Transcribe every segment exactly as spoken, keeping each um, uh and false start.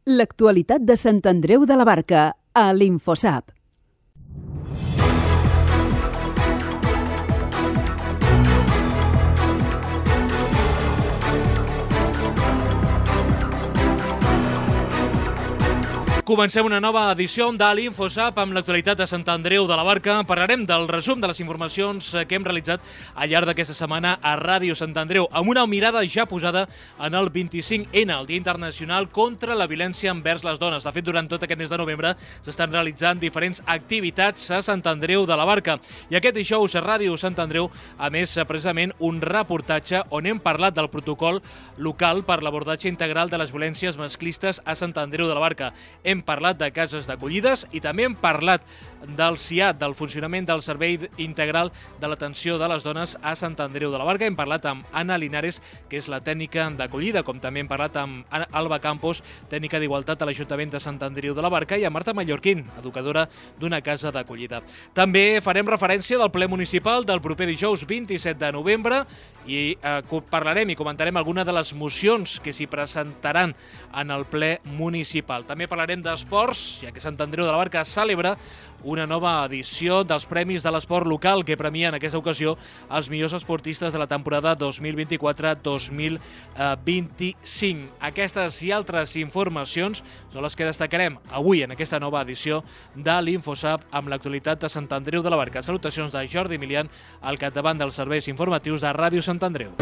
L'actualitat de Sant Andreu de la Barca, a l'Infosap. Comencem una nova edició de l'Infosap amb l'actualitat de Sant Andreu de la Barca. Parlarem del resum de les informacions que hem realitzat al llarg d'aquesta setmana a Ràdio Sant Andreu, amb una mirada ja posada en el vint-i-cinc ena, el Dia Internacional contra la Violència envers les Dones. De fet, durant tot aquest mes de novembre s'estan realitzant diferents activitats a Sant Andreu de la Barca. I aquest dijous a Ràdio Sant Andreu, a més, precisament un reportatge on hem parlat del protocol local per l'abordatge integral de les violències masclistes a Sant Andreu de la Barca. Hem Hem parlat de cases d'acollides i també hem parlat del C I A T, del funcionament del Servei Integral de l'Atenció de les Dones a Sant Andreu de la Barca. Hem parlat amb Anna Linares, que és la tècnica d'acollida, com també hem parlat amb Alba Campos, tècnica d'Igualtat a l'Ajuntament de Sant Andreu de la Barca, i amb Marta Mallorquín, educadora d'una casa d'acollida. També farem referència del ple municipal del proper dijous vint-i-set de novembre i eh, parlarem i comentarem alguna de les mocions que s'hi presentaran en el ple municipal. També parlarem d'esports, ja que Sant Andreu de la Barca celebra una nova edició dels Premis de l'Esport Local que premia en aquesta ocasió els millors esportistes de la temporada dos mil vint-i-quatre dos mil vint-i-cinc. Aquestes i altres informacions són les que destacarem avui en aquesta nova edició de l'Infosap amb l'actualitat de Sant Andreu de la Barca. Salutacions de Jordi Emilian, al capdavant dels serveis informatius de Ràdio Sant Andreu.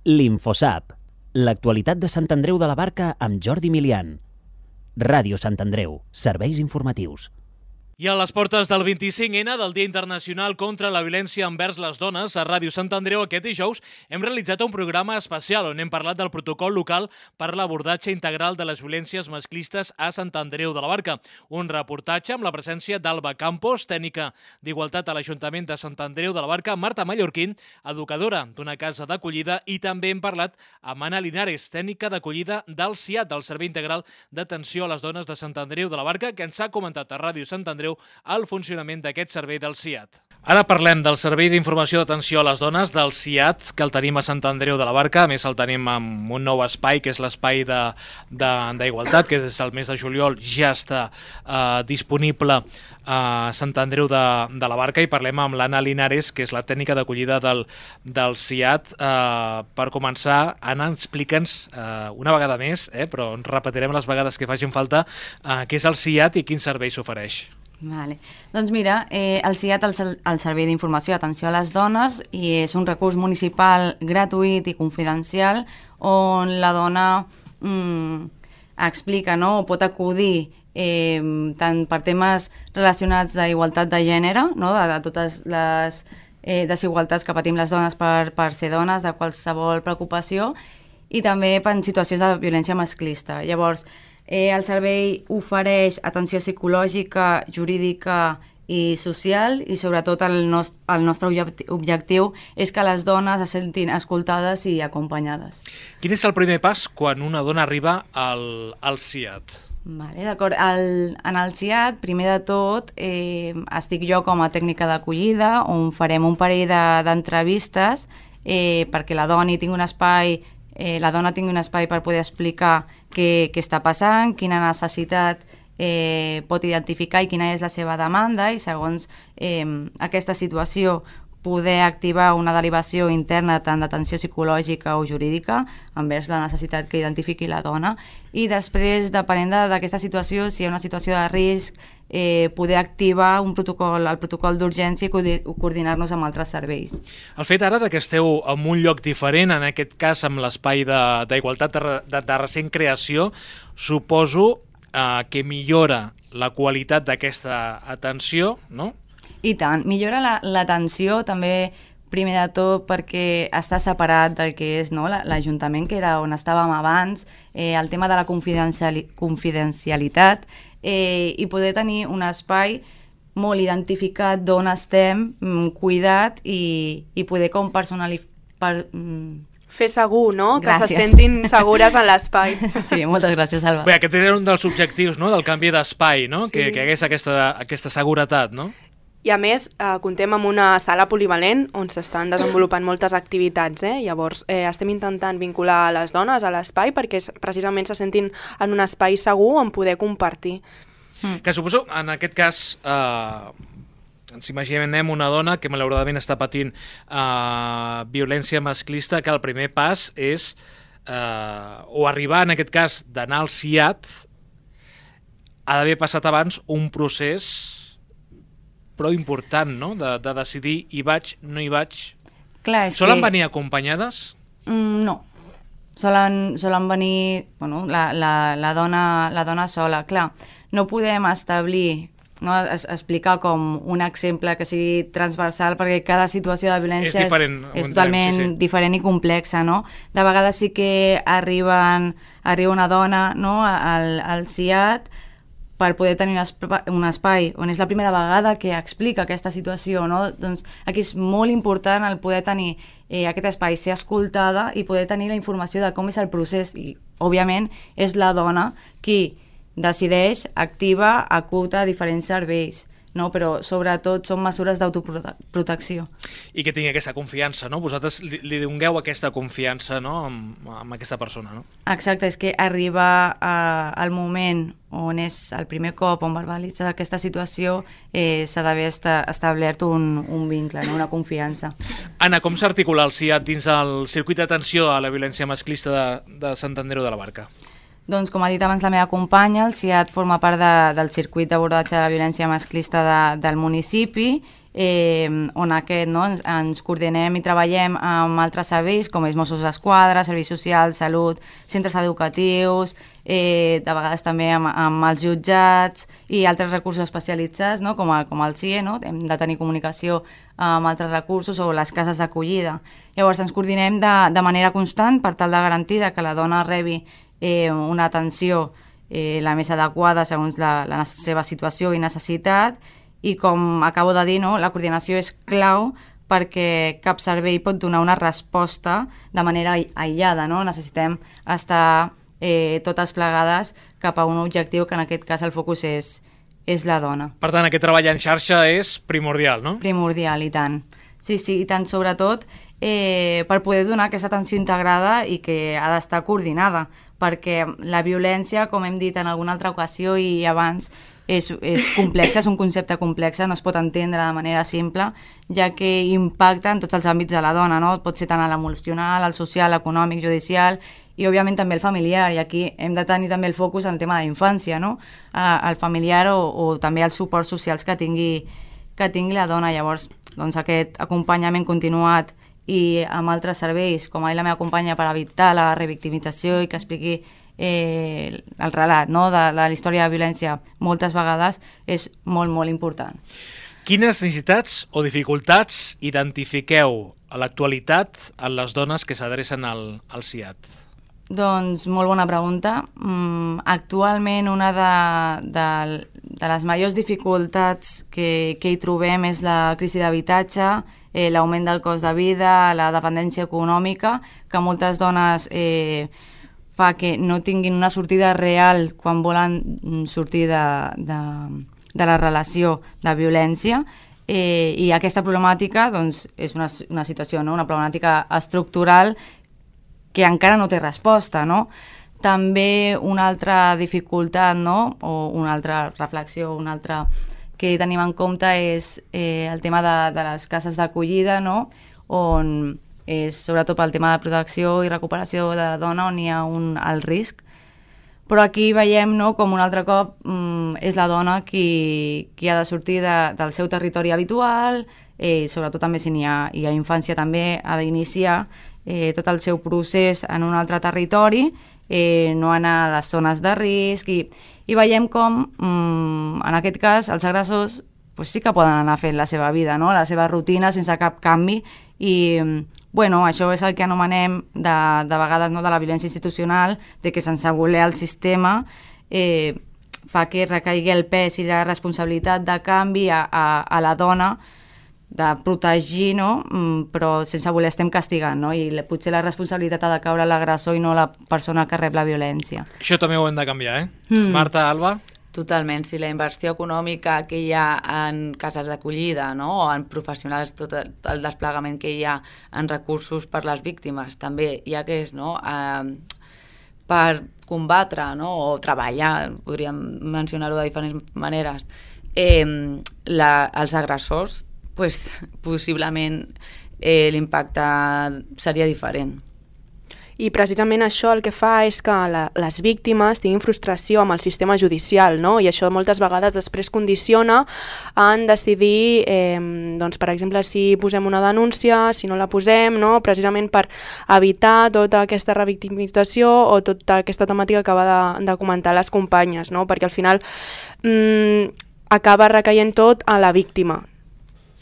L'Infosap, l'actualitat de Sant Andreu de la Barca amb Jordi Emilian. Ràdio Sant Andreu, serveis informatius. I a les portes del vint-i-cinc ena, del Dia Internacional contra la Violència envers les Dones, a Ràdio Sant Andreu aquest dijous hem realitzat un programa especial on hem parlat del protocol local per l'abordatge integral de les violències masclistes a Sant Andreu de la Barca. Un reportatge amb la presència d'Alba Campos, tècnica d'Igualtat a l'Ajuntament de Sant Andreu de la Barca, Marta Mallorquín, educadora d'una casa d'acollida, i també hem parlat amb Anna Linares, tècnica d'acollida del C I A T, del Servei Integral d'Atenció a les Dones de Sant Andreu de la Barca, que ens ha comentat a Ràdio Sant Andreu el funcionament d'aquest servei del C I A T. Ara parlem del Servei d'Informació d'Atenció a les Dones, del C I A T, que el tenim a Sant Andreu de la Barca. A més, el tenim amb un nou espai, que és l'espai d'Igualtat, que des del mes de juliol ja està eh, disponible a Sant Andreu de, de la Barca, i parlem amb l'Anna Linares, que és la tècnica d'acollida del, del C I A T. Eh, per començar, Anna, explica'ns eh, una vegada més, eh, però ens repetirem les vegades que facin falta, eh, què és el C I A T i quin servei s'ofereix. Vale. Doncs mira, eh, el C I A T, el, el Servei d'Informació i Atenció a les Dones, i és un recurs municipal gratuït i confidencial on la dona mm, explica, no?, o pot acudir eh, tant per temes relacionats d'igualtat de gènere, no?, de, de totes les eh, desigualtats que patim les dones per, per ser dones, de qualsevol preocupació, i també per situacions de violència masclista. Llavors, Eh, el servei ofereix atenció psicològica, jurídica i social, i sobretot el, nost el nostre objectiu és que les dones se sentin escoltades i acompanyades. Quin és el primer pas quan una dona arriba al, al C I A T? Vale, d'acord. En el C I A T, primer de tot, eh, estic jo com a tècnica d'acollida, on farem un parell d'entrevistes de, eh, perquè la dona tingui un espai Eh, la dona tingui un espai per poder explicar què, què està passant, quina necessitat eh, pot identificar i quina és la seva demanda, i segons eh, aquesta situació poder activar una derivació interna tant d'atenció psicològica o jurídica envers la necessitat que identifiqui la dona, i després, depenent d'aquesta situació, si hi ha una situació de risc, eh, poder activar un protocol, el protocol d'urgència i coordinar-nos amb altres serveis. El fet ara de que esteu en un lloc diferent, en aquest cas amb l'espai d'Igualtat de, de, de recent creació, suposo eh, que millora la qualitat d'aquesta atenció, no? I tant, millora l'atenció la, també, primer de tot perquè està separat del que és, no, l'Ajuntament, que era on estàvem abans, eh, el tema de la confidenciali confidencialitat eh, i poder tenir un espai molt identificat d'on estem, cuidat, i, i poder com personalitzar... Per, fer segur, no? Gràcies. Que se sentin segures en l'espai. Sí, moltes gràcies, Alba. Bé, aquest era un dels objectius, no?, del canvi d'espai, no? Sí. Que, que hagués aquesta, aquesta seguretat, no? I a més, eh, contem amb una sala polivalent on s'estan desenvolupant moltes activitats. Eh? Llavors, eh, estem intentant vincular les dones a l'espai perquè precisament se sentin en un espai segur on poder compartir. Mm. Que suposo, en aquest cas, eh, ens imaginem una dona que malauradament està patint eh, violència masclista, que el primer pas és, eh, o arribar, en aquest cas, d'anar al C I A T, ha d'haver passat abans un procés prou important, no?, de, de decidir hi vaig, no hi vaig. Clar, és Solen que... venir acompanyades? Mm, no. Solen, solen venir bueno, la, la, la, dona, la dona sola. Clar, no podem establir, no, es, explicar com un exemple que sigui transversal perquè cada situació de violència és, diferent, és, és totalment sí, sí. diferent i complexa, no? De vegades sí que arriben, arriba una dona, no, al, al C I A T per poder tenir un espai, un espai on és la primera vegada que explica aquesta situació, no? Doncs aquí és molt important el poder tenir eh, aquest espai, ser escoltada i poder tenir la informació de com és el procés i, òbviament, és la dona qui decideix, activa, acuta diferents serveis, no? Però sobretot són mesures d'autoprotecció. I que tingui aquesta confiança, no? Vosaltres li, li dongueu aquesta confiança, no?, amb, amb aquesta persona, no? Exacte, és que arriba eh, al moment on és el primer cop on verbalitza aquesta situació, eh, s'ha d'haver esta, establert un, un vincle, no? Una confiança. Anna, com s'articula el C I A T dins el circuit d'atenció a la violència masclista de, de Sant Andreu de la Barca? Doncs, com ha dit abans la meva companya, el C I A T forma part de, del circuit d'abordatge de la violència masclista de, del municipi, eh, on aquest, no, ens, ens coordinem i treballem amb altres serveis, com és Mossos d'Esquadra, Serveis Socials, Salut, centres educatius, eh, de vegades també amb, amb els jutjats i altres recursos especialitzats, no, com, a, com el C I E, no? Hem de tenir comunicació amb altres recursos o les cases d'acollida. Llavors ens coordinem de, de manera constant per tal de garantir que la dona rebi Eh, una atenció eh, la més adequada segons la, la seva situació i necessitat i com acabo de dir, no, la coordinació és clau perquè cap servei pot donar una resposta de manera aïllada, no? Necessitem estar eh, totes plegades cap a un objectiu que en aquest cas el focus és, és la dona. Per tant, aquest treball en xarxa és primordial, no? Primordial, i tant. Sí, sí, i tant, sobretot eh, per poder donar aquesta atenció integrada i que ha d'estar coordinada, perquè la violència, com hem dit en alguna altra ocasió i abans, és, és complexa, és un concepte complex, no es pot entendre de manera simple, ja que impacta en tots els àmbits de la dona, no? Pot ser tant a l'emocional, al social, econòmic, judicial i, òbviament, també el familiar, i aquí hem de tenir també el focus en el tema d'infància, no? El familiar o, o també els suports socials que tingui, que tingui la dona. Llavors, doncs, aquest acompanyament continuat i amb altres serveis, com ha dit la meva companya, per evitar la revictimització i que expliqui eh, el relat, no?, de, de la història de violència moltes vegades, és molt, molt important. Quines necessitats o dificultats identifiqueu a l'actualitat en les dones que s'adrecen al, al C I A T? Doncs molt bona pregunta. Mm, actualment una de, de, de les majors dificultats que, que hi trobem és la crisi d'habitatge, eh, l'augment del cost de vida, la dependència econòmica, que moltes dones eh, fa que no tinguin una sortida real quan volen sortir de, de, de la relació de violència. Eh, I aquesta problemàtica doncs, és una, una situació, no? Una problemàtica estructural que encara no té resposta, no? També una altra dificultat, no?, o una altra reflexió, una altra que tenim en compte és eh, el tema de, de les cases d'acollida, no?, on és sobretot pel tema de protecció i recuperació de la dona on hi ha un alt risc. Però aquí veiem, no?, com un altre cop mm, és la dona qui, qui ha de sortir de, del seu territori habitual, eh, sobretot també si n'hi ha, hi ha infància també, ha d'iniciar eh, tot el seu procés en un altre territori, eh, no anar a les zones de risc, i, i veiem com, mm, en aquest cas, els agressors pues, sí que poden anar fent la seva vida, no?, la seva rutina sense cap canvi, i bueno, això és el que anomenem de, de vegades, no?, de la violència institucional, de que sense voler el sistema eh, fa que recaigui el pes i la responsabilitat de canvi a, a, a la dona, de protegir, no?, però sense voler estem castigant, no?, i potser la responsabilitat ha de caure l'agressor i no la persona que rep la violència. Això també ho hem de canviar, eh? Mm. Marta, Alba? Totalment, si la inversió econòmica que hi ha en cases d'acollida, no? O en professionals, tot el desplegament que hi ha en recursos per les víctimes, també hi ha que és, no? Eh, per combatre, no? O treballar, podríem mencionar-ho de diferents maneres, eh, la, els agressors, pues, possiblement eh, l'impacte seria diferent. I precisament això el que fa és que la, les víctimes tinguin frustració amb el sistema judicial, no? I això moltes vegades després condiciona en decidir, eh, doncs, per exemple, si posem una denúncia, si no la posem, no? Precisament per evitar tota aquesta revictimització o tota aquesta temàtica que acaba de, de comentar les companyes, no? Perquè al final mm, acaba recaient tot a la víctima.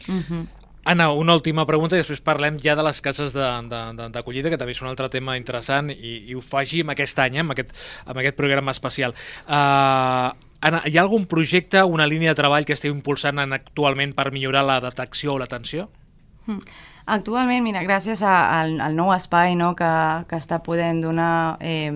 Mhm. Anna, una última pregunta i després parlem ja de les cases d'acollida, que també és un altre tema interessant i, i ho faci amb aquest any, eh, amb, aquest, amb aquest programa especial. Uh, Anna, hi ha algun projecte, una línia de treball que esteu impulsant actualment per millorar la detecció o l'atenció? Mm. Actualment, mira, gràcies a, al, al nou espai, no, que, que està podent donar eh,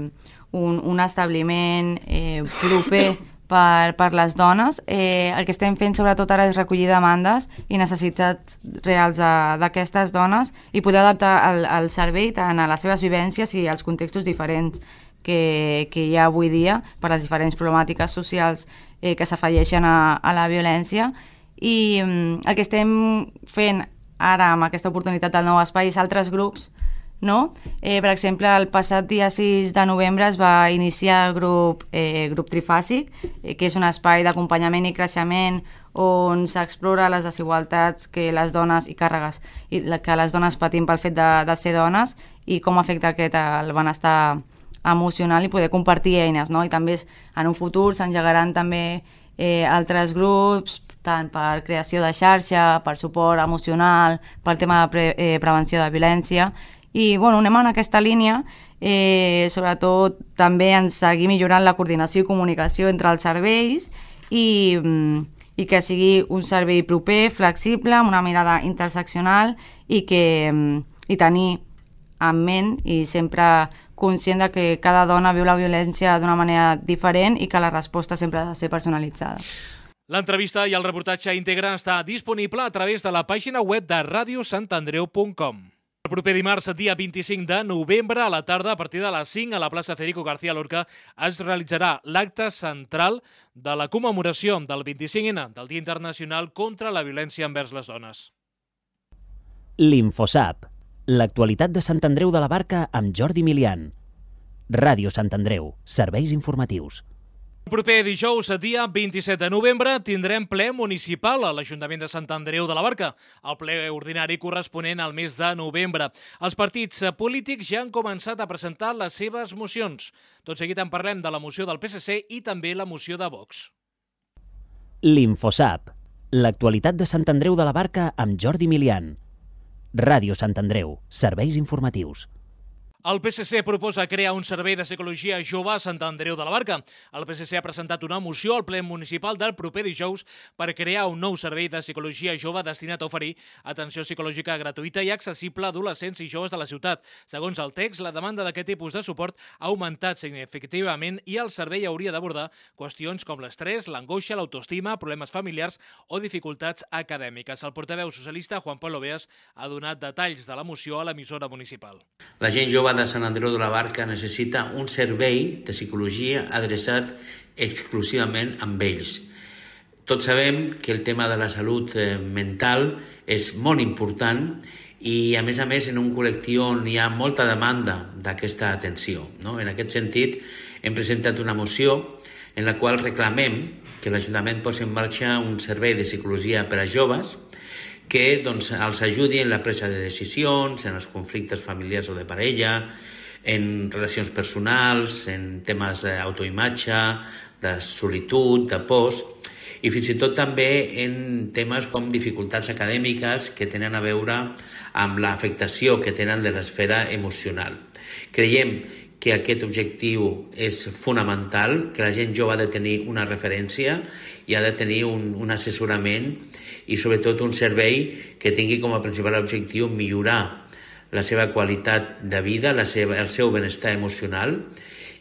un, un establiment eh, proper Per, per les dones, eh, el que estem fent sobretot ara és recollir demandes i necessitats reals d'aquestes dones i poder adaptar el, el servei tant a les seves vivències i als contextos diferents que, que hi ha avui dia per les diferents problemàtiques socials eh, que s'afegeixen a, a la violència. I mm, el que estem fent ara amb aquesta oportunitat del nou espai és altres grups, no? Eh, per exemple, el passat dia sis de novembre es va iniciar el grup, eh, grup Trifàsic, eh, que és un espai d'acompanyament i creixement on s'explora les desigualtats que les dones i càrregues i que les dones patim pel fet de, de ser dones i com afecta aquest el benestar emocional i poder compartir eines, no? I també en un futur s'engegaran també eh, altres grups, tant per creació de xarxa, per suport emocional, pel tema de pre, eh, prevenció de violència. I bueno, anem en aquesta línia, eh, sobretot també en seguir millorant la coordinació i comunicació entre els serveis i, i que sigui un servei proper, flexible, amb una mirada interseccional i, que, i tenir en ment i sempre conscient de que cada dona viu la violència d'una manera diferent i que la resposta sempre ha de ser personalitzada. L'entrevista i el reportatge íntegre està disponible a través de la pàgina web de radio sant andreu punt com. El proper dimarts, dia vint-i-cinc de novembre, a la tarda, a partir de les cinc, a la plaça Federico García Lorca, es realitzarà l'acte central de la commemoració del vint-i-cinc ena del Dia Internacional contra la Violència envers les Dones. L'Infosap, l'actualitat de Sant Andreu de la Barca amb Jordi Milian. Ràdio Sant Andreu, serveis informatius. El proper dijous, dia vint-i-set de novembre, tindrem ple municipal a l'Ajuntament de Sant Andreu de la Barca, el ple ordinari corresponent al mes de novembre. Els partits polítics ja han començat a presentar les seves mocions. Tot seguit en parlem de la moció del P S C i també la moció de Vox. L'Infosap, l'actualitat de Sant Andreu de la Barca amb Jordi Milian. Ràdio Sant Andreu, serveis informatius. El P S C proposa crear un servei de psicologia jove a Sant Andreu de la Barca. El P S C ha presentat una moció al ple municipal del proper dijous per crear un nou servei de psicologia jove destinat a oferir atenció psicològica gratuïta i accessible a adolescents i joves de la ciutat. Segons el text, la demanda d'aquest tipus de suport ha augmentat significativament i el servei hauria d'abordar qüestions com l'estrès, l'angoixa, l'autoestima, problemes familiars o dificultats acadèmiques. El portaveu socialista, Juan Pablo Beas, ha donat detalls de la moció a l'emissora municipal. La gent jove de Sant Andreu de la Barca necessita un servei de psicologia adreçat exclusivament amb ells. Tots sabem que el tema de la salut mental és molt important i, a més a més, en un col·lectiu on hi ha molta demanda d'aquesta atenció, no? En aquest sentit, hem presentat una moció en la qual reclamem que l'Ajuntament posi en marxa un servei de psicologia per a joves que doncs, els ajudi en la presa de decisions, en els conflictes familiars o de parella, en relacions personals, en temes d'autoimatge, de solitud, de pors, i fins i tot també en temes com dificultats acadèmiques que tenen a veure amb l'afectació que tenen de l'esfera emocional. Creiem que aquest objectiu és fonamental, que la gent jove ha de tenir una referència i ha de tenir un, un assessorament i sobretot un servei que tingui com a principal objectiu millorar la seva qualitat de vida, la seva, el seu benestar emocional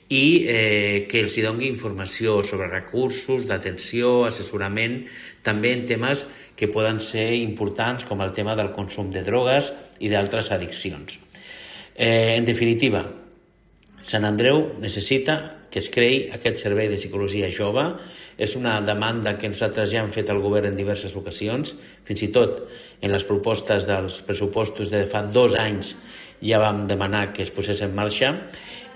i eh, que els hi doni informació sobre recursos, d'atenció, assessorament, també en temes que poden ser importants com el tema del consum de drogues i d'altres addiccions. Eh, en definitiva, Sant Andreu necessita que es creï aquest servei de psicologia jove. És una demanda que nosaltres ja hem fet al govern en diverses ocasions, fins i tot en les propostes dels pressupostos de fa dos anys ja vam demanar que es posés en marxa,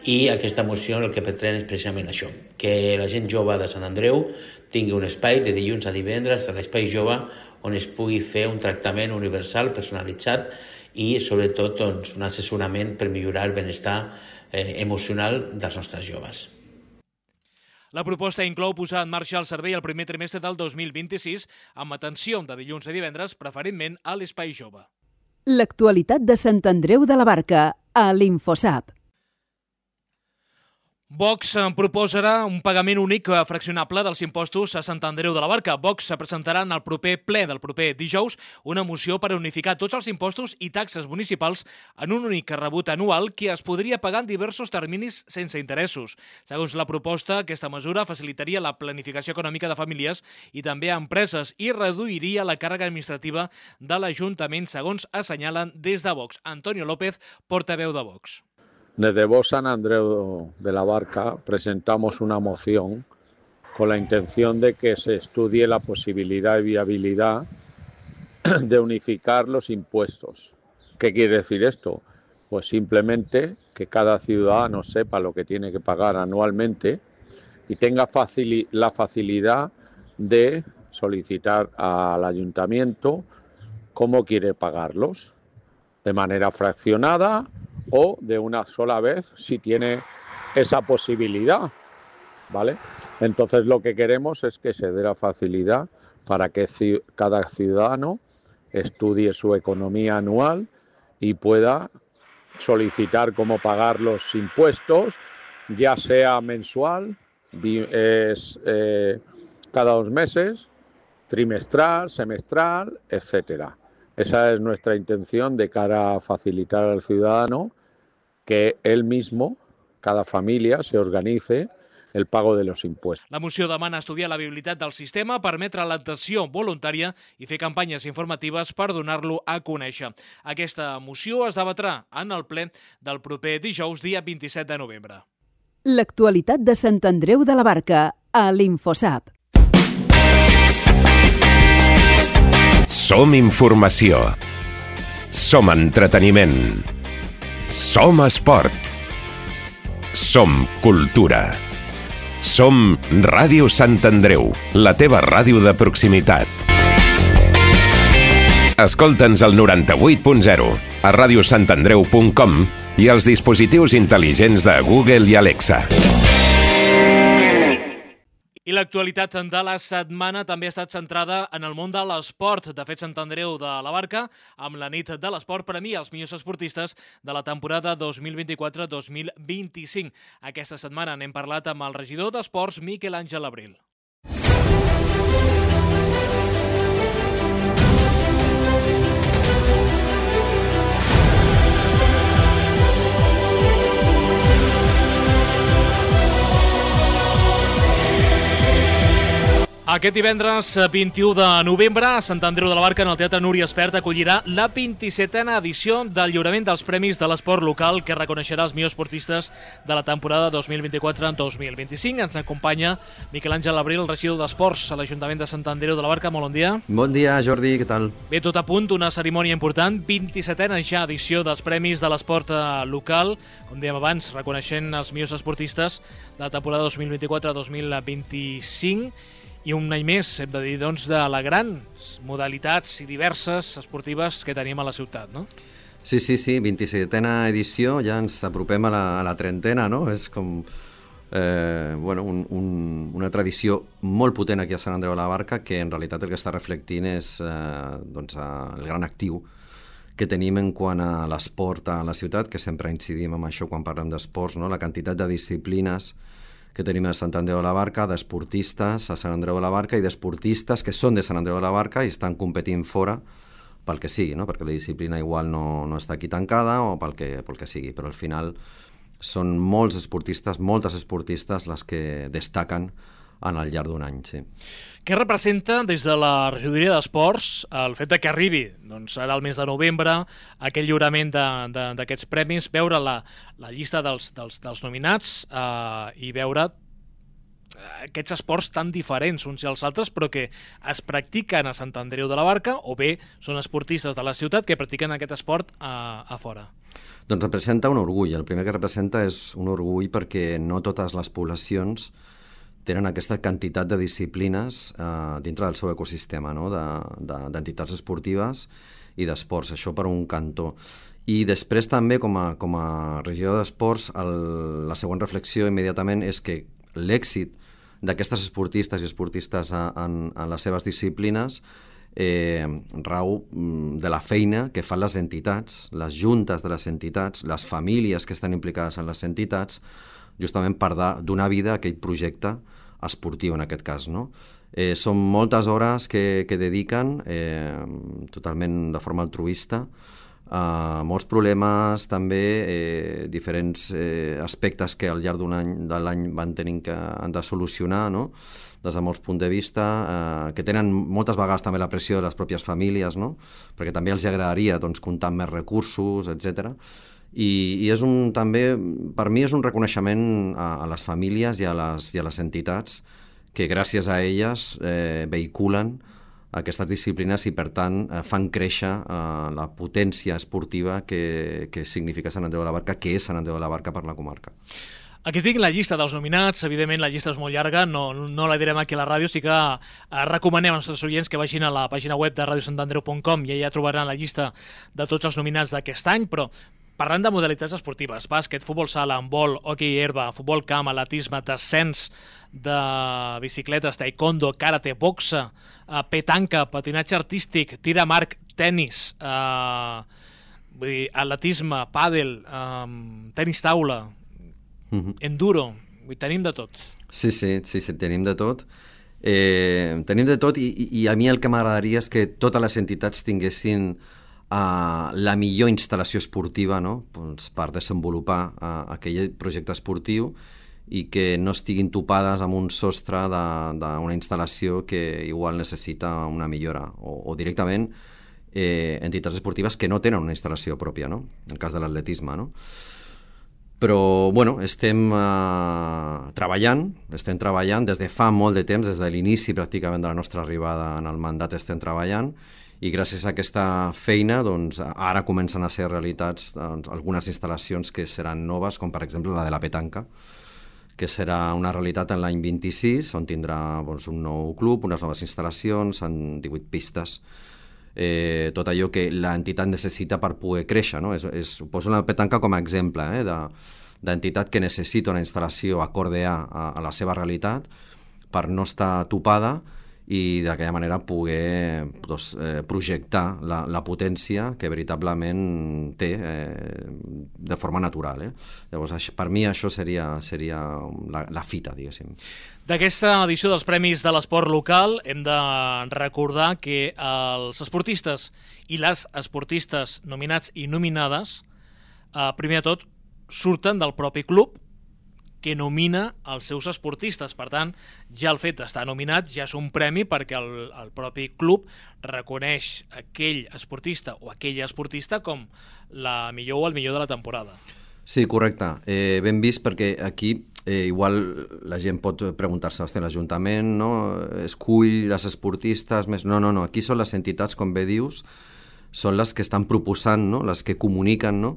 i aquesta moció el que pretén és precisament això, que la gent jove de Sant Andreu tingui un espai de dilluns a divendres a l'espai jove on es pugui fer un tractament universal, personalitzat i sobretot doncs, un assessorament per millorar el benestar eh, emocional dels nostres joves. La proposta inclou posar en marxa el servei el primer trimestre del dos mil vint-i-sis amb atenció de dilluns a divendres, preferentment a l'espai jove. L'actualitat de Sant Andreu de la Barca, a l'Infosap. Vox proposarà un pagament únic fraccionable dels impostos a Sant Andreu de la Barca. Vox presentarà en el proper ple del proper dijous una moció per unificar tots els impostos i taxes municipals en un únic rebut anual que es podria pagar en diversos terminis sense interessos. Segons la proposta, aquesta mesura facilitaria la planificació econòmica de famílies i també a empreses i reduiria la càrrega administrativa de l'Ajuntament, segons assenyalen des de Vox. Antonio López, portaveu de Vox. Desde Vox San Andreu de la Barca presentamos una moción con la intención de que se estudie la posibilidad y viabilidad de unificar los impuestos. ¿Qué quiere decir esto? Pues simplemente que cada ciudadano sepa lo que tiene que pagar anualmente y tenga facil- la facilidad de solicitar al ayuntamiento cómo quiere pagarlos, de manera fraccionada o de una sola vez si tiene esa posibilidad, ¿vale? Entonces lo que queremos es que se dé la facilidad para que cada ciudadano estudie su economía anual y pueda solicitar cómo pagar los impuestos, ya sea mensual, es, eh, cada dos meses, trimestral, semestral, etcétera. Esa es nuestra intención de cara a facilitar al ciudadano que él mismo, cada familia, se organice el pago de los impuestos. La moció demana estudiar la viabilitat del sistema, permetre l'adhesió voluntària i fer campanyes informatives per donar-lo a conèixer. Aquesta moció es debatrà en el ple del proper dijous, dia vint-i-set de novembre. L'actualitat de Sant Andreu de la Barca, a l'Infosap. Som informació. Som entreteniment. Som esport. Som cultura. Som Ràdio Sant Andreu, la teva ràdio de proximitat. Escolta'ns al noranta-vuit punt zero, a ràdio sant andreu punt com i als dispositius intel·ligents de Google i Alexa. I l'actualitat de la setmana també ha estat centrada en el món de l'esport. De fet, Sant Andreu de la Barca, amb la nit de l'esport, premia els millors esportistes de la temporada dos mil vint-i-quatre dos mil vint-i-cinc. Aquesta setmana n'hem parlat amb el regidor d'Esports, Miquel Àngel Abril. Aquest divendres vint-i-u de novembre, a Sant Andreu de la Barca, en el Teatre Núria Espert, acollirà la vint-i-setena edició del lliurament dels Premis de l'Esport Local, que reconeixerà els millors esportistes de la temporada dos mil vint-i-quatre dos mil vint-i-cinc. Ens acompanya Miquel Àngel Abril, regidor d'Esports a l'Ajuntament de Sant Andreu de la Barca. Molt bon dia. Bon dia, Jordi, què tal? Bé, tot a punt, una cerimònia important, vint-i-setena ja edició dels Premis de l'Esport local, com dèiem abans, reconeixent els millors esportistes de la temporada dos mil vint-i-quatre dos mil vint-i-cinc. I un any més, hem de dir, doncs, de les grans modalitats i diverses esportives que tenim a la ciutat, no? Sí, sí, sí, vint-i-setena edició, ja ens apropem a la, a la trentena, no? És com eh, bueno, un, un, una tradició molt potent aquí a Sant Andreu de la Barca, que en realitat el que està reflectint és eh, doncs, el gran actiu que tenim en quant a l'esport a la ciutat, que sempre incidim en això quan parlem d'esports, no? La quantitat de disciplines que tenim a Sant Andreu de la Barca, d'esportistes a Sant Andreu de la Barca i d'esportistes que són de Sant Andreu de la Barca i estan competint fora pel que sigui, no? Perquè la disciplina igual no, no està aquí tancada o pel que, pel que sigui, però al final són molts esportistes, moltes esportistes les que destaquen en el llarg d'un any, sí. Què representa des de la regidoria d'Esports el fet de que arribi, doncs ara el mes de novembre, aquell lliurament d'aquests premis, veure la, la llista dels, dels, dels nominats eh, i veure aquests esports tan diferents uns i els altres, però que es practiquen a Sant Andreu de la Barca, o bé són esportistes de la ciutat que practiquen aquest esport a, a fora? Doncs representa un orgull. El primer que representa és un orgull perquè no totes les poblacions tenen aquesta quantitat de disciplines eh, dintre del seu ecosistema, no? d'entitats de, de, esportives i d'esports, això per un cantó. I després també, com a, com a regidor d'esports, el, la següent reflexió immediatament és que l'èxit d'aquestes esportistes i esportistes en, en les seves disciplines eh, rau de la feina que fan les entitats, les juntes de les entitats, les famílies que estan implicades en les entitats, justament per donar vida a aquell projecte esportiu, en aquest cas, no? Eh, són moltes hores que, que dediquen, eh, totalment de forma altruista, Uh, molts problemes, també eh, diferents eh, aspectes que al llarg d'un any de l'any van tenint que han de solucionar, no? Des de molts punts de vista, eh, que tenen moltes vegades també la pressió de les pròpies famílies, no? Perquè també els agradaria doncs, comptar amb més recursos, etcètera. I, i és un, també, per mi és un reconeixement a, a les famílies i a les, i a les entitats que gràcies a elles eh, vehiculen aquestes disciplines i, per tant, eh, fan créixer eh, la potència esportiva que, que significa Sant Andreu de la Barca, que és Sant Andreu de la Barca per la comarca. Aquí tinc la llista dels nominats, evidentment la llista és molt llarga, no, no la direm aquí a la ràdio, sí que eh, recomanem als nostres oients que vagin a la pàgina web de radio sant andreu punt com i allà trobaran la llista de tots els nominats d'aquest any, però parlant de modalitats esportives, bàsquet, futbol sala, handbol, hoquei herba, futbol camp, atletisme, descens de bicicletes, taekwondo, karate, boxa, eh, petanca, patinatge artístic, tir amb arc, tenis, eh, vull dir, atletisme, pàdel, eh, tenis taula, uh-huh. enduro, vull dir, tenim de tot. Sí, sí, sí, sí, tenim de tot. Eh, tenim de tot i, i a mi el que m'agradaria és que totes les entitats tinguessin Uh, la millor instal·lació esportiva, no? Pues per desenvolupar uh, aquell projecte esportiu i que no estiguin topades amb un sostre d'una instal·lació que igual necessita una millora o, o directament eh, entitats esportives que no tenen una instal·lació pròpia, no? En el cas de l'atletisme, no? Però, bueno, estem uh, treballant, estem treballant des de fa molt de temps, des de l'inici pràcticament de la nostra arribada en el mandat estem treballant, i gràcies a aquesta feina doncs, ara comencen a ser realitats doncs, algunes instal·lacions que seran noves, com per exemple la de la petanca, que serà una realitat en l'any vint-i-sis, on tindrà doncs, un nou club, unes noves instal·lacions, en divuit pistes, eh, tot allò que l'entitat necessita per poder créixer. No? És, és, poso la petanca com a exemple eh, d'entitat que necessita una instal·lació acorde a, a la seva realitat per no estar topada i d'aquella manera poder doncs, eh, projectar la, la potència que veritablement té eh, de forma natural. Eh? Llavors, això, per mi això seria, seria la, la fita, diguéssim. D'aquesta edició dels Premis de l'Esport Local hem de recordar que els esportistes i les esportistes nominats i nominades, eh, primer de tot, surten del propi club que nomina els seus esportistes. Per tant, ja el fet d'estar nominat ja és un premi perquè el, el propi club reconeix aquell esportista o aquella esportista com la millor o el millor de la temporada. Sí, correcte. Eh, ben vist perquè aquí eh, igual la gent pot preguntar-se, hòstia, l'Ajuntament no, escull les esportistes més... No, no, no, aquí són les entitats, com bé dius, són les que estan proposant, no? Les que comuniquen, no?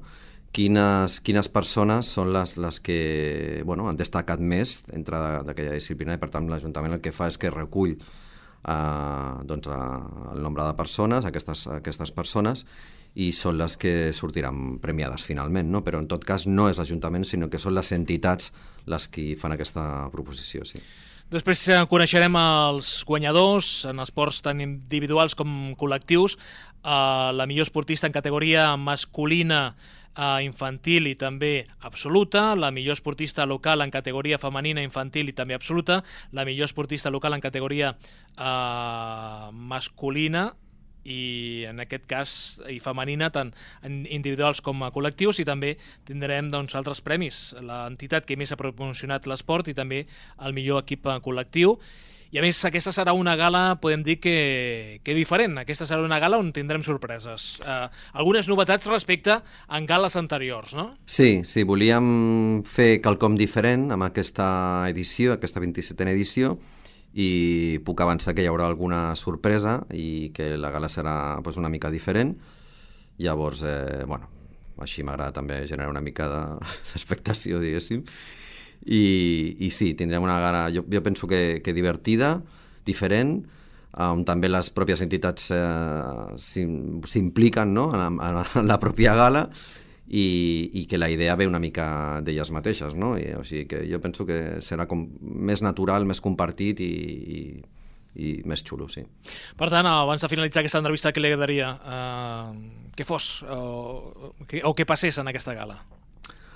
Quines, quines persones són les, les que bueno, han destacat més dintre d'aquella disciplina i per tant l'Ajuntament el que fa és que recull eh, doncs, el nombre de persones, aquestes, aquestes persones i són les que sortiran premiades finalment, no? Però en tot cas no és l'Ajuntament sinó que són les entitats les que fan aquesta proposició, sí. Després coneixerem els guanyadors en esports tant individuals com col·lectius, eh, la millor esportista en categoria masculina infantil i també absoluta, la millor esportista local en categoria femenina infantil i també absoluta, la millor esportista local en categoria eh, masculina i en aquest cas i femenina, tant individuals com a col·lectius, i també tindrem doncs, altres premis, l'entitat que més ha promocionat l'esport i també el millor equip col·lectiu. I a més, aquesta serà una gala, podem dir que, que diferent. Aquesta serà una gala on tindrem sorpreses. Eh, algunes novetats respecte a gales anteriors, no? Sí, sí, volíem fer quelcom diferent amb aquesta edició, aquesta vint-i-setena edició, i puc avançar que hi haurà alguna sorpresa i que la gala serà pues, una mica diferent. Llavors, eh, bueno, així m'agrada també generar una mica d'expectació, diguéssim. I, i sí, tindrem una gala, jo, jo penso que, que divertida, diferent, on també les pròpies entitats eh, s'impliquen, no? en, en, en la pròpia gala, i, i que la idea ve una mica d'elles mateixes, no? I, o sigui que jo penso que serà com més natural, més compartit i, i, i més xulo, sí. Per tant, abans de finalitzar aquesta entrevista, què li agradaria eh, que fos o, que, o que passés en aquesta gala?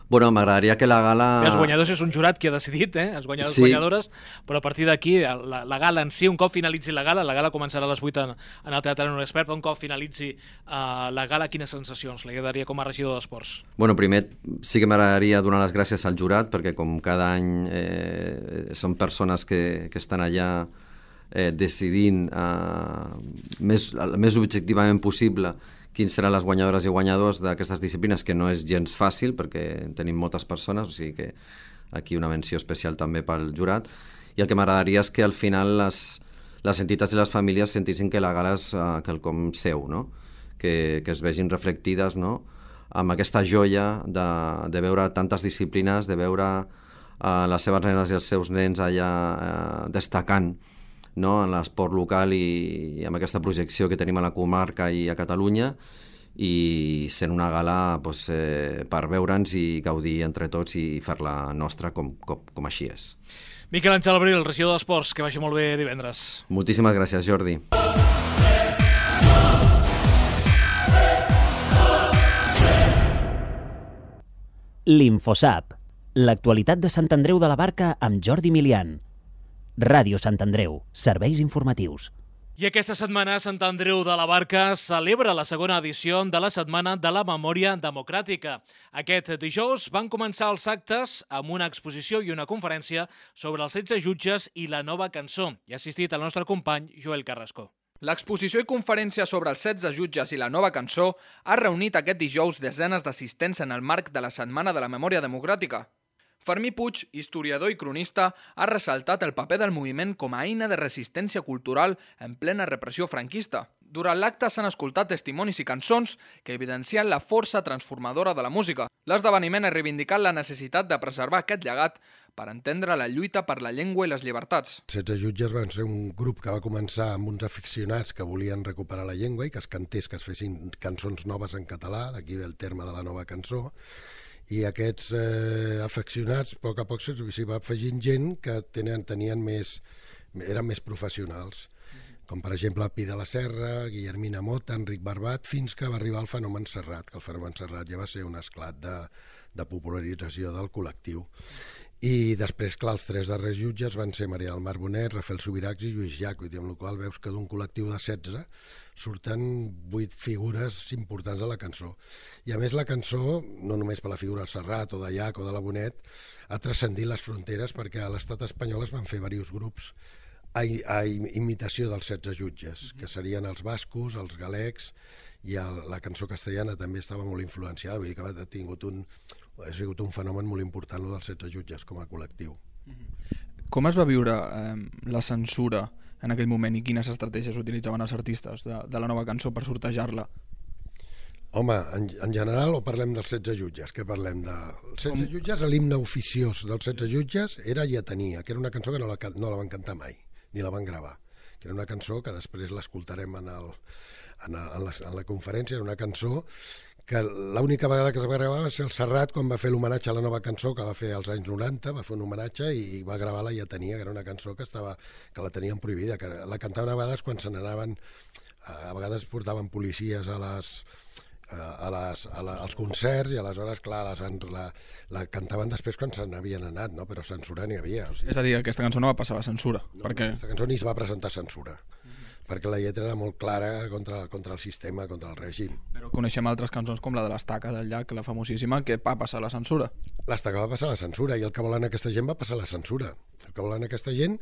Bueno, m'agradaria que la gala... Els guanyadors és un jurat que ha decidit, eh? Els guanyadors sí. guanyadores, però a partir d'aquí, la, la gala en si, un cop finalitzi la gala, la gala començarà a les vuit en, en el Teatre Nord Expert, però un cop finalitzi uh, la gala, quines sensacions li agradaria com a regidor d'Esports? Bueno, primer sí que m'agradaria donar les gràcies al jurat, perquè com cada any eh, són persones que, que estan allà eh, decidint eh, més, el més objectivament possible quins seran les guanyadores i guanyadors d'aquestes disciplines, que no és gens fàcil perquè tenim moltes persones, o sigui que aquí una menció especial també pel jurat. I el que m'agradaria és que al final les, les entitats i les famílies sentissin que la gala és uh, quelcom seu, no? que, que es vegin reflectides, no? amb aquesta joia de, de veure tantes disciplines, de veure uh, les seves nenes i els seus nens allà uh, destacant, no? en l'esport local i, i amb aquesta projecció que tenim a la comarca i a Catalunya, i sent una gala pues, eh, per veure'ns i gaudir entre tots i fer-la nostra com, com, com així és. Miquel Àngel Abril, regidor d'Esports, que vagi molt bé divendres. Moltíssimes gràcies, Jordi. L'Infosap, l'actualitat de Sant Andreu de la Barca amb Jordi Milian. Ràdio Sant Andreu, serveis informatius. I aquesta setmana Sant Andreu de la Barca celebra la segona edició de la Setmana de la Memòria Democràtica. Aquest dijous van començar els actes amb una exposició i una conferència sobre els setze jutges i la nova cançó. Hi ha assistit el nostre company Joel Carrasco. L'exposició i conferència sobre els setze jutges i la nova cançó ha reunit aquest dijous desenes d'assistents en el marc de la Setmana de la Memòria Democràtica. Fermí Puig, historiador i cronista, ha ressaltat el paper del moviment com a eina de resistència cultural en plena repressió franquista. Durant l'acte s'han escoltat testimonis i cançons que evidencien la força transformadora de la música. L'esdeveniment ha reivindicat la necessitat de preservar aquest llegat per entendre la lluita per la llengua i les llibertats. setze jutges van ser un grup que va començar amb uns aficionats que volien recuperar la llengua i que es cantés, que es fessin cançons noves en català, d'aquí ve el terme de la nova cançó, i aquests eh, afeccionats a poc a poc s'hi va afegint gent que tenen, tenien més, eren més professionals, com per exemple Pi de la Serra, Guillermina Mota, Enric Barbat, fins que va arribar el fenomen Serrat, que el fenomen Serrat ja va ser un esclat de, de popularització del col·lectiu. I després, clar, els tres darrers jutges van ser Maria del Mar Bonet, Rafael Subirachs i Lluís Llach, amb la qual veus que d'un col·lectiu de setze surten vuit figures importants de la cançó. I a més la cançó, no només per la figura del Serrat o de Llach o de la Bonet, ha transcendit les fronteres perquè a l'estat espanyol es van fer diversos grups a, a imitació dels setze jutges, que serien els bascos, els galecs, i el, la cançó castellana també estava molt influenciada, vull dir que ha tingut un, ha sigut un fenomen molt important el dels setze jutges com a col·lectiu. Com es va viure eh, la censura en aquell moment i quines estratègies utilitzaven els artistes de, de la nova cançó per sortejar-la? Home, en, en general o parlem dels setze jutges? Què parlem de... Els setze Com... jutges, l'himne oficiós dels setze jutges era Lletania, que era una cançó que no la, no la van cantar mai, ni la van gravar, que era una cançó que després l'escoltarem en, el, en, en, la, en la conferència, era una cançó que l'única vegada que es va gravar va ser el Serrat quan va fer l'homenatge a la nova cançó que va fer als anys noranta, va fer un homenatge i va gravar la Lletania, que era una cançó que, estava, que la tenien prohibida, que la cantaven a vegades quan se n'anaven, a vegades portaven policies a les... a les, a la, als concerts i aleshores, clar, les, la, la cantaven després quan se n'havien anat, no? Però censura n'hi havia. O sigui... És a dir, aquesta cançó no va passar la censura. No, perquè... aquesta cançó ni es va presentar censura. perquè la lletra era molt clara contra, contra el sistema, contra el règim. Però coneixem altres cançons com la de l'Estaca del Llac, la famosíssima, que va passar la censura. L'Estaca va passar la censura i el que volen aquesta gent va passar la censura. El que volen aquesta gent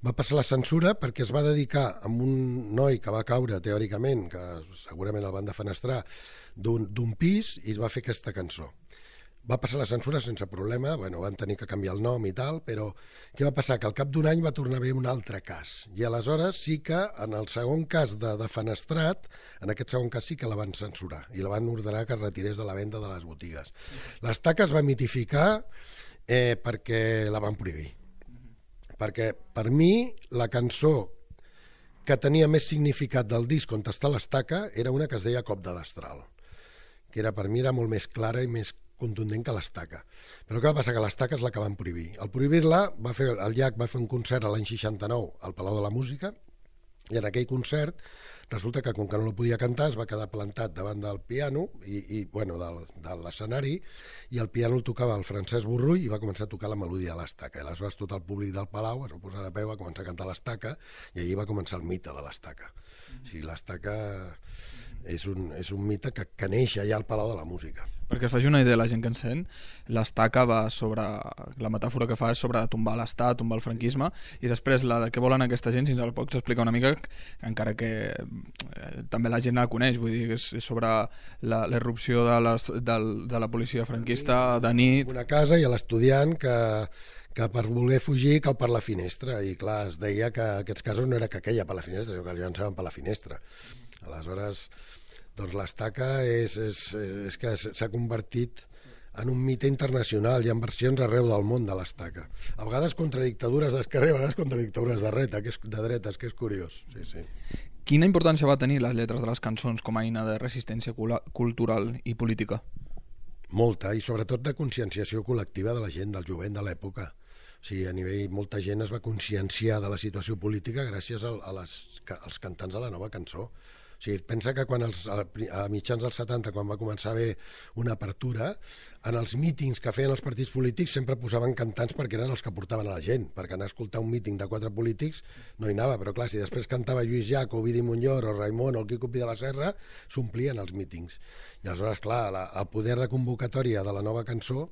va passar la censura perquè es va dedicar a un noi que va caure, teòricament, que segurament el van defenestrar, d'un pis i es va fer aquesta cançó. Va passar la censura sense problema, bueno, van tenir que canviar el nom i tal, però què va passar? Que al cap d'un any va tornar a haver un altre cas. I aleshores sí que en el segon cas de defenestrat, en aquest segon cas sí que la van censurar i la van ordenar que es retirés de la venda de les botigues. L'Estaca es va mitificar eh, perquè la van prohibir. Perquè per mi la cançó que tenia més significat del disc on està l'Estaca era una que es deia Cop de destral, que era, per mi era molt més clara i més contundent que l'Estaca. Però què va passar? Que l'Estaca és la que van prohibir. Al prohibir-la, va fer, el Llac va fer un concert l'any seixanta-nou al Palau de la Música i en aquell concert resulta que com que no lo podia cantar es va quedar plantat davant del piano i, i bueno, del, de l'escenari i el piano el tocava el Francesc Borrull i va començar a tocar la melodia de l'Estaca. I aleshores tot el públic del Palau es va posar de peu, va començar a cantar l'Estaca i allí va començar el mite de l'Estaca. O sigui, l'Estaca és un, és un mite que, que neix allà al Palau de la Música. Perquè es faci una idea la gent que en sent, l'Estaca va sobre... La metàfora que fa és sobre tombar l'Estat, tombar el franquisme, i després la de què volen aquesta gent, si ens el pots explicar una mica, encara que eh, també la gent la coneix, vull dir, és, és sobre la irrupció de, les, de, de la policia franquista de nit... Una casa i l'estudiant que, que per voler fugir cau per la finestra, i clar, es deia que aquests casos no era que queia per la finestra, sinó que els llançaven per la finestra. Aleshores, doncs l'Estaca és, és, és que s'ha convertit en un mite internacional. Hi ha versions arreu del món de l'Estaca. A vegades contra dictadures d'esquerra, a vegades contra dictadures de dreta, que és, de dretes, que és curiós. Sí, sí. Quina importància va tenir les lletres de les cançons com a eina de resistència cultural i política? Molta, i sobretot de conscienciació col·lectiva de la gent, del jovent de l'època. O sigui, a nivell, molta gent es va conscienciar de la situació política gràcies a, a les, als cantants de la nova cançó. O sigui, pensa que quan els, a mitjans dels setanta, quan va començar a haver una apertura, en els mítings que feien els partits polítics sempre posaven cantants perquè eren els que portaven a la gent, perquè anar a escoltar un míting de quatre polítics no hi anava, però clar, si després cantava Lluís Llach o Ovidi Montllor o Raimon o el Quico Pi de la Serra, s'omplien els mítings. I aleshores, clar, la, el poder de convocatòria de la nova cançó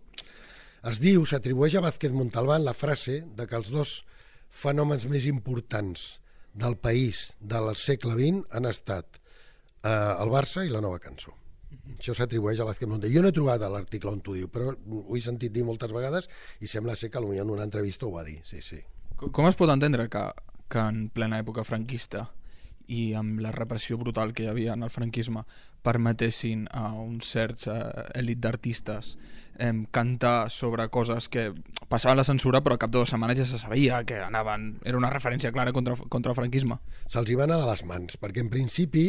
es diu, s'atribueix a Vázquez Montalbán la frase de que els dos fenòmens més importants del país del segle vint han estat eh, el Barça i la nova cançó. Això s'atribueix a Vázquez Montalbán. Jo no he trobat l'article on t'ho diu, però ho he sentit dir moltes vegades i sembla ser que potser en una entrevista ho va dir. Sí, sí. Com es pot entendre que, que en plena època franquista i amb la repressió brutal que hi havia en el franquisme permetessin a uns certs eh, elit d'artistes eh, cantar sobre coses que passaven la censura però al cap de dues setmanes ja se sabia que anaven, era una referència clara contra, contra el franquisme? Se'ls hi va anar de les mans, perquè en principi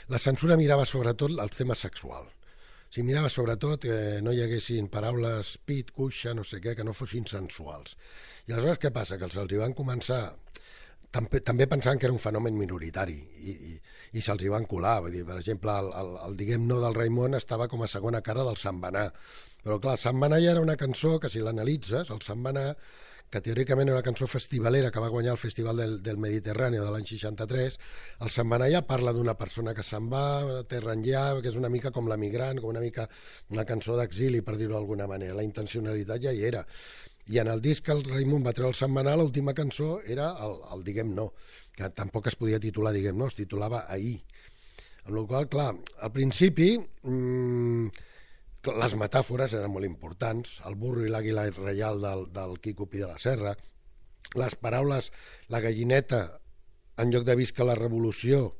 la censura mirava sobretot el tema sexual. O sigui, mirava sobretot que no hi haguessin paraules pit, cuixa, no sé què, que no fossin sensuals. I aleshores què passa? Que se'ls hi van començar... També, també pensaven que era un fenomen minoritari i, i, i se'ls hi van colar. Vull dir, per exemple, el, el, el diguem no del Raimon estava com a segona cara del Sant Benar. Però clar, Sant Benar ja era una cançó que si l'analitzes, el Sant Benar, que teòricament era una cançó festivalera que va guanyar el Festival del, del Mediterrani de l'any seixanta-tres, el Sant Benar ja parla d'una persona que se'n va, terra enllà, que és una mica com l'emigrant, com una mica una cançó d'exili, per dir-ho d'alguna manera. La intencionalitat ja hi era. I en el disc que el Raimon va treure el Sant Benar, l'última cançó era el, el Diguem No, que tampoc es podia titular Diguem No, es titulava Ahir. Amb la qual cosa, clar, al principi mmm, les metàfores eren molt importants, el burro i l'àguila reial del, del Quico Pi de la Serra, les paraules, la gallineta, en lloc de visca la revolució,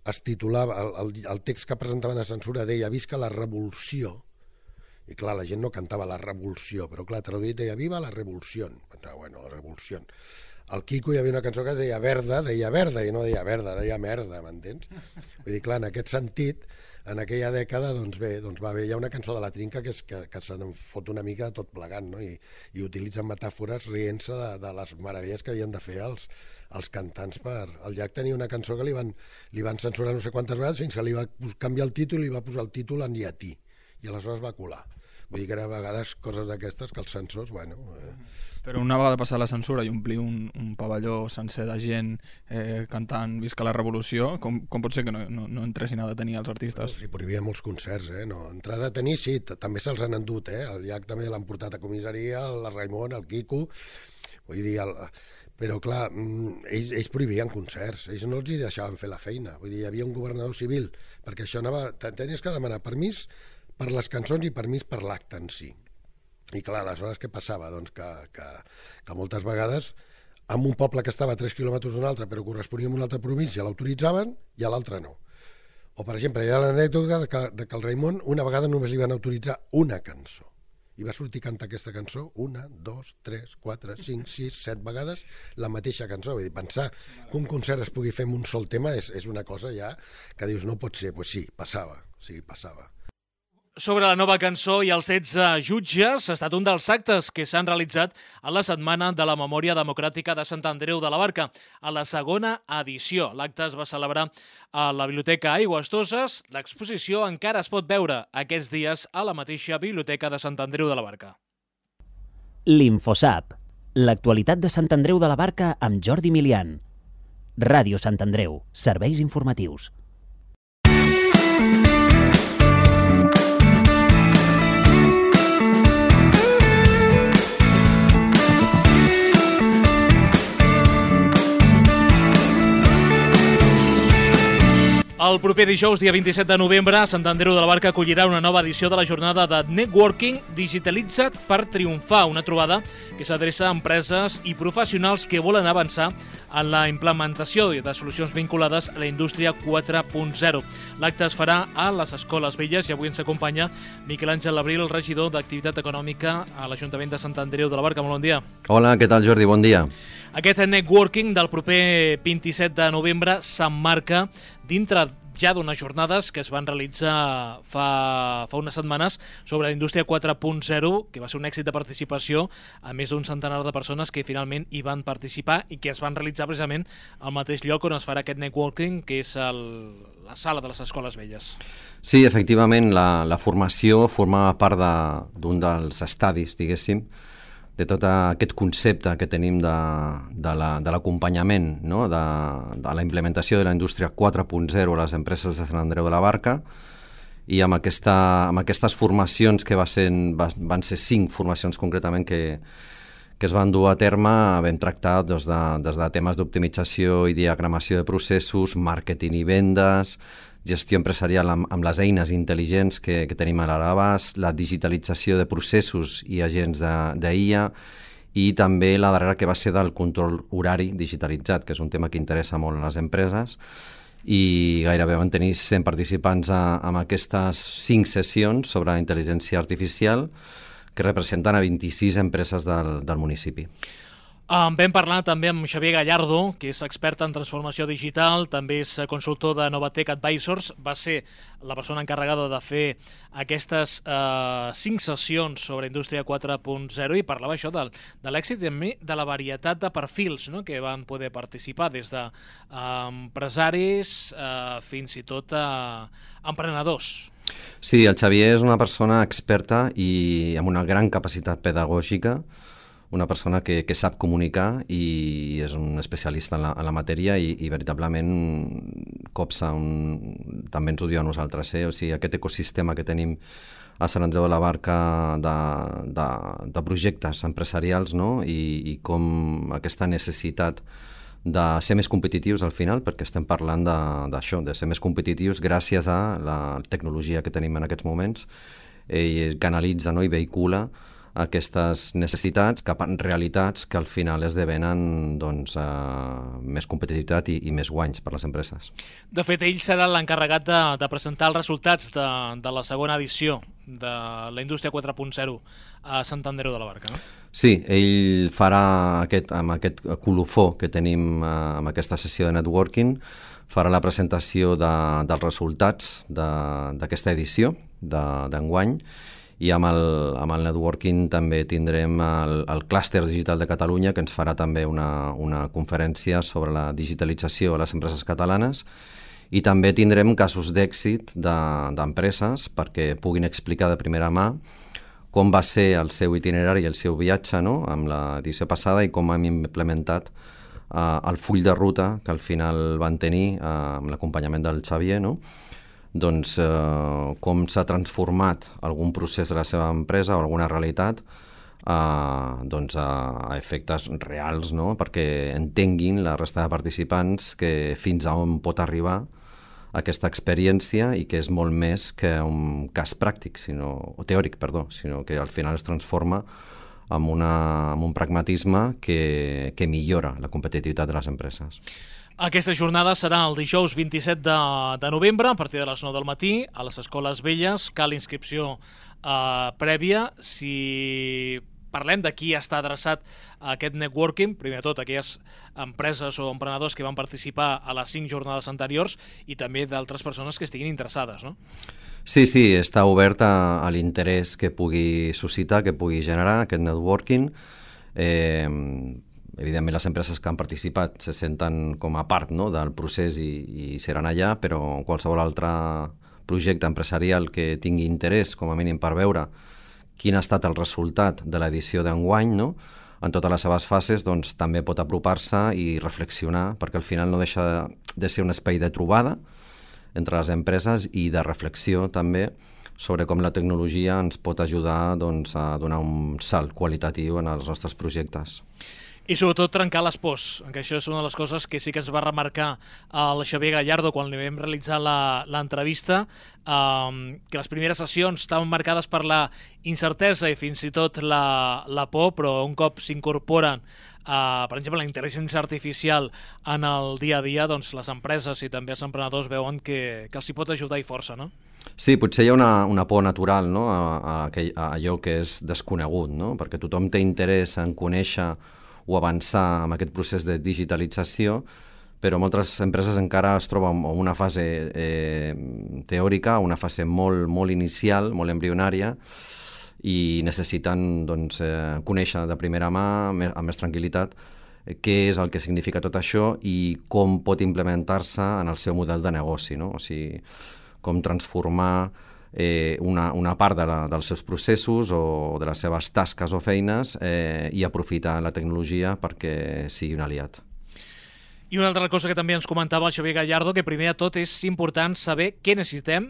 es titulava, el, el, el text que presentaven a censura deia visca la revolució, i clar, la gent no cantava la revolució, però clar, traduït deia viva la revolució. Pensava, bueno, la revolució. Al Quico hi havia una cançó que es deia verda, deia verda, i no deia verda, deia merda, m'entens? Vull dir, clar, en aquest sentit, en aquella dècada, doncs bé, doncs va haver, hi ha una cançó de la Trinca que, és, que, que se n'en fot una mica tot plegant, no? I, i utilitzen metàfores rient-se de, de les meravelles que havien de fer els, els cantants per... El Llach tenia una cançó que li van, li van censurar no sé quantes vegades fins que li va canviar el títol i li va posar el títol en llatí, i aleshores va colar. Vull dir que a vegades coses d'aquestes que els sensors, bueno... Eh... Però una vegada passar la censura i omplir un, un pavelló sencer de gent eh, cantant Visca la Revolució, com, com pot ser que no, no, no entressin a detenir els artistes? Sí, prohibien molts concerts, eh? No, entrar a detenir, sí, també se'ls han endut, eh? El llac també l'han portat a comissaria, el Raimon, el Quico... Vull dir, el... però clar, ells, ells prohibien concerts, ells no els hi deixaven fer la feina. Vull dir, hi havia un governador civil, perquè això anava... Tenies que demanar permís per les cançons i permís per l'acte en si. I clar, aleshores què passava? Doncs que, que, que moltes vegades en un poble que estava a tres quilòmetres d'un altre però corresponia a una altra província l'autoritzaven i a l'altre no. O per exemple, hi ha l'anècdota de, que, de que el Raimon una vegada només li van autoritzar una cançó i va sortir a cantar aquesta cançó una, dos, tres, quatre, cinc, sis, set vegades la mateixa cançó. Vull dir, pensar que un concert es pugui fer amb un sol tema és, és una cosa ja que dius no pot ser. Doncs pues sí, passava, sí, passava. Sobre la nova cançó i els setze jutges ha estat un dels actes que s'han realitzat a la Setmana de la Memòria Democràtica de Sant Andreu de la Barca, a la segona edició. L'acte es va celebrar a la Biblioteca Aigües Toses. L'exposició encara es pot veure aquests dies a la mateixa Biblioteca de Sant Andreu de la Barca. L'Infosap, l'actualitat de Sant Andreu de la Barca amb Jordi Milian. Ràdio Sant Andreu, serveis informatius. El proper dijous, dia vint-i-set de novembre, Sant Andreu de la Barca acollirà una nova edició de la jornada de Networking Digitalitza't per triomfar, una trobada que s'adreça a empreses i professionals que volen avançar en la implementació de solucions vinculades a la indústria quatre punt zero. L'acte es farà a les Escoles Velles i avui ens acompanya Miquel Àngel Labril, regidor d'Activitat Econòmica a l'Ajuntament de Sant Andreu de la Barca. Molt bon dia. Hola, què tal, Jordi? Bon dia. Aquest networking del proper vint-i-set de novembre s'emmarca dintre ja d'unes jornades que es van realitzar fa, fa unes setmanes sobre la indústria quatre punt zero, que va ser un èxit de participació a més d'un centenar de persones que finalment hi van participar i que es van realitzar precisament al mateix lloc on es farà aquest networking, que és el, la sala de les Escoles Velles. Sí, efectivament, la, la formació formava part d'un de, dels estadis, diguéssim, de tot aquest concepte que tenim de, de l'acompanyament, la, no? de, de la implementació de la indústria quatre punt zero a les empreses de Sant Andreu de la Barca, i amb, aquesta, amb aquestes formacions que va ser, va, van ser cinc formacions concretament que, que es van dur a terme, vam tractar doncs, de, des de temes d'optimització i diagramació de processos, màrqueting i vendes, gestió empresarial amb, amb les eines intel·ligents que, que tenim a l'abast, la digitalització de processos i agents d'I A i també la darrera que va ser del control horari digitalitzat, que és un tema que interessa molt a les empreses, i gairebé van tenir cent participants a, amb aquestes cinc sessions sobre intel·ligència artificial que representen a vint-i-sis empreses del, del municipi. Um, vam parlar també amb Xavier Gallardo, que és expert en transformació digital, també és consultor de Novatec Advisors, va ser la persona encarregada de fer aquestes uh, cinc sessions sobre indústria quatre punt zero i parlava això de, de l'èxit i també de la varietat de perfils, no?, que van poder participar, des de uh, empresaris uh, fins i tot a uh, emprenedors. Sí, el Xavier és una persona experta i amb una gran capacitat pedagògica, una persona que, que sap comunicar i és un especialista en la, en la matèria i, i veritablement copsa, un, també ens ho diu a nosaltres, eh? O sigui, aquest ecosistema que tenim a Sant Andreu de la Barca de, de, de projectes empresarials, no? I, i com aquesta necessitat de ser més competitius al final, perquè estem parlant d'això, de, de ser més competitius gràcies a la tecnologia que tenim en aquests moments, i canalitza, no? I vehicula aquestes necessitats cap a realitats que al final esdevenen doncs, eh, més competitivitat i, i més guanys per les empreses. De fet, ell serà l'encarregat de, de presentar els resultats de, de la segona edició de la indústria quatre punt zero a Sant Andreu de la Barca, no? Sí, ell farà aquest, amb aquest colofó que tenim eh, amb aquesta sessió de networking, farà la presentació de, dels resultats d'aquesta edició d'enguany, i amb el, amb el networking també tindrem el, el clúster digital de Catalunya, que ens farà també una, una conferència sobre la digitalització a les empreses catalanes, i també tindrem casos d'èxit d'empreses perquè puguin explicar de primera mà com va ser el seu itinerari i el seu viatge, no?, amb l'edició passada, i com hem implementat uh, el full de ruta que al final van tenir uh, amb l'acompanyament del Xavier, no?, doncs eh, com s'ha transformat algun procés de la seva empresa o alguna realitat a, doncs a, a efectes reals, no?, perquè entenguin la resta de participants que fins a on pot arribar aquesta experiència i que és molt més que un cas pràctic, sinó, o teòric, perdó, sinó que al final es transforma amb, una, amb un pragmatisme que, que millora la competitivitat de les empreses. Aquesta jornada serà el dijous vint-i-set de, de novembre, a partir de les nou del matí, a les Escoles Velles. Cal inscripció eh, prèvia. Si parlem de qui està adreçat a aquest networking, primer de tot aquelles empreses o emprenedors que van participar a les cinc jornades anteriors i també d'altres persones que estiguin interessades, no? Sí, sí, està obert a, a l'interès que pugui suscitar, que pugui generar aquest networking. Eh, Evidentment, les empreses que han participat se senten com a part, no?, del procés i, i seran allà, però qualsevol altre projecte empresarial que tingui interès, com a mínim per veure quin ha estat el resultat de l'edició d'enguany, no?, en totes les seves fases, doncs també pot apropar-se i reflexionar, perquè al final no deixa de ser un espai de trobada entre les empreses i de reflexió també sobre com la tecnologia ens pot ajudar, doncs, a donar un salt qualitatiu en els nostres projectes. I sobretot trencar les pors, que això és una de les coses que sí que ens va remarcar el Xavier Gallardo quan li vam realitzar l'entrevista, um, que les primeres sessions estaven marcades per la incertesa i fins i tot la, la por, però un cop s'incorporen, uh, per exemple, la intel·ligència artificial en el dia a dia, doncs les empreses i també els emprenedors veuen que, que els hi pot ajudar i força, no? Sí, potser hi ha una, una por natural, no?, a, a, aquell, a allò que és desconegut, no?, perquè tothom té interès en conèixer o avançar en aquest procés de digitalització, però moltes empreses encara es troben en una fase eh, teòrica, una fase molt, molt inicial, molt embrionària, i necessiten, doncs, eh, conèixer de primera mà, amb més tranquil·litat, eh, què és el que significa tot això i com pot implementar-se en el seu model de negoci, no? O sigui, com transformar Eh, una, una part de la, dels seus processos o de les seves tasques o feines eh, i aprofitar la tecnologia perquè sigui un aliat. I una altra cosa que també ens comentava el Xavier Gallardo, que primer de tot és important saber què necessitem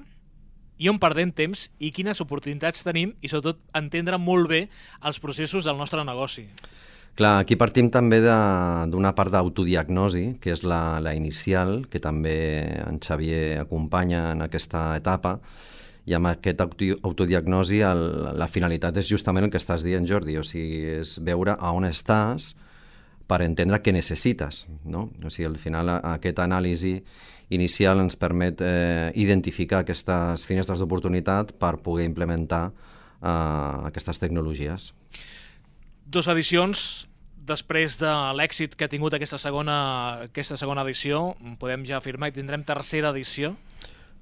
i on perdem temps i quines oportunitats tenim i sobretot entendre molt bé els processos del nostre negoci. Clar, aquí partim també d'una part d'autodiagnosi, que és la, la inicial, que també en Xavier acompanya en aquesta etapa. I amb aquest autodiagnosi el, la finalitat és justament el que estàs dient, Jordi, o sigui, és veure a on estàs per entendre què necessites, no? O sigui, al final aquest anàlisi inicial ens permet eh, identificar aquestes finestres d'oportunitat per poder implementar eh, aquestes tecnologies. Dos edicions, després de l'èxit que ha tingut aquesta segona, aquesta segona edició, podem ja afirmar que tindrem tercera edició?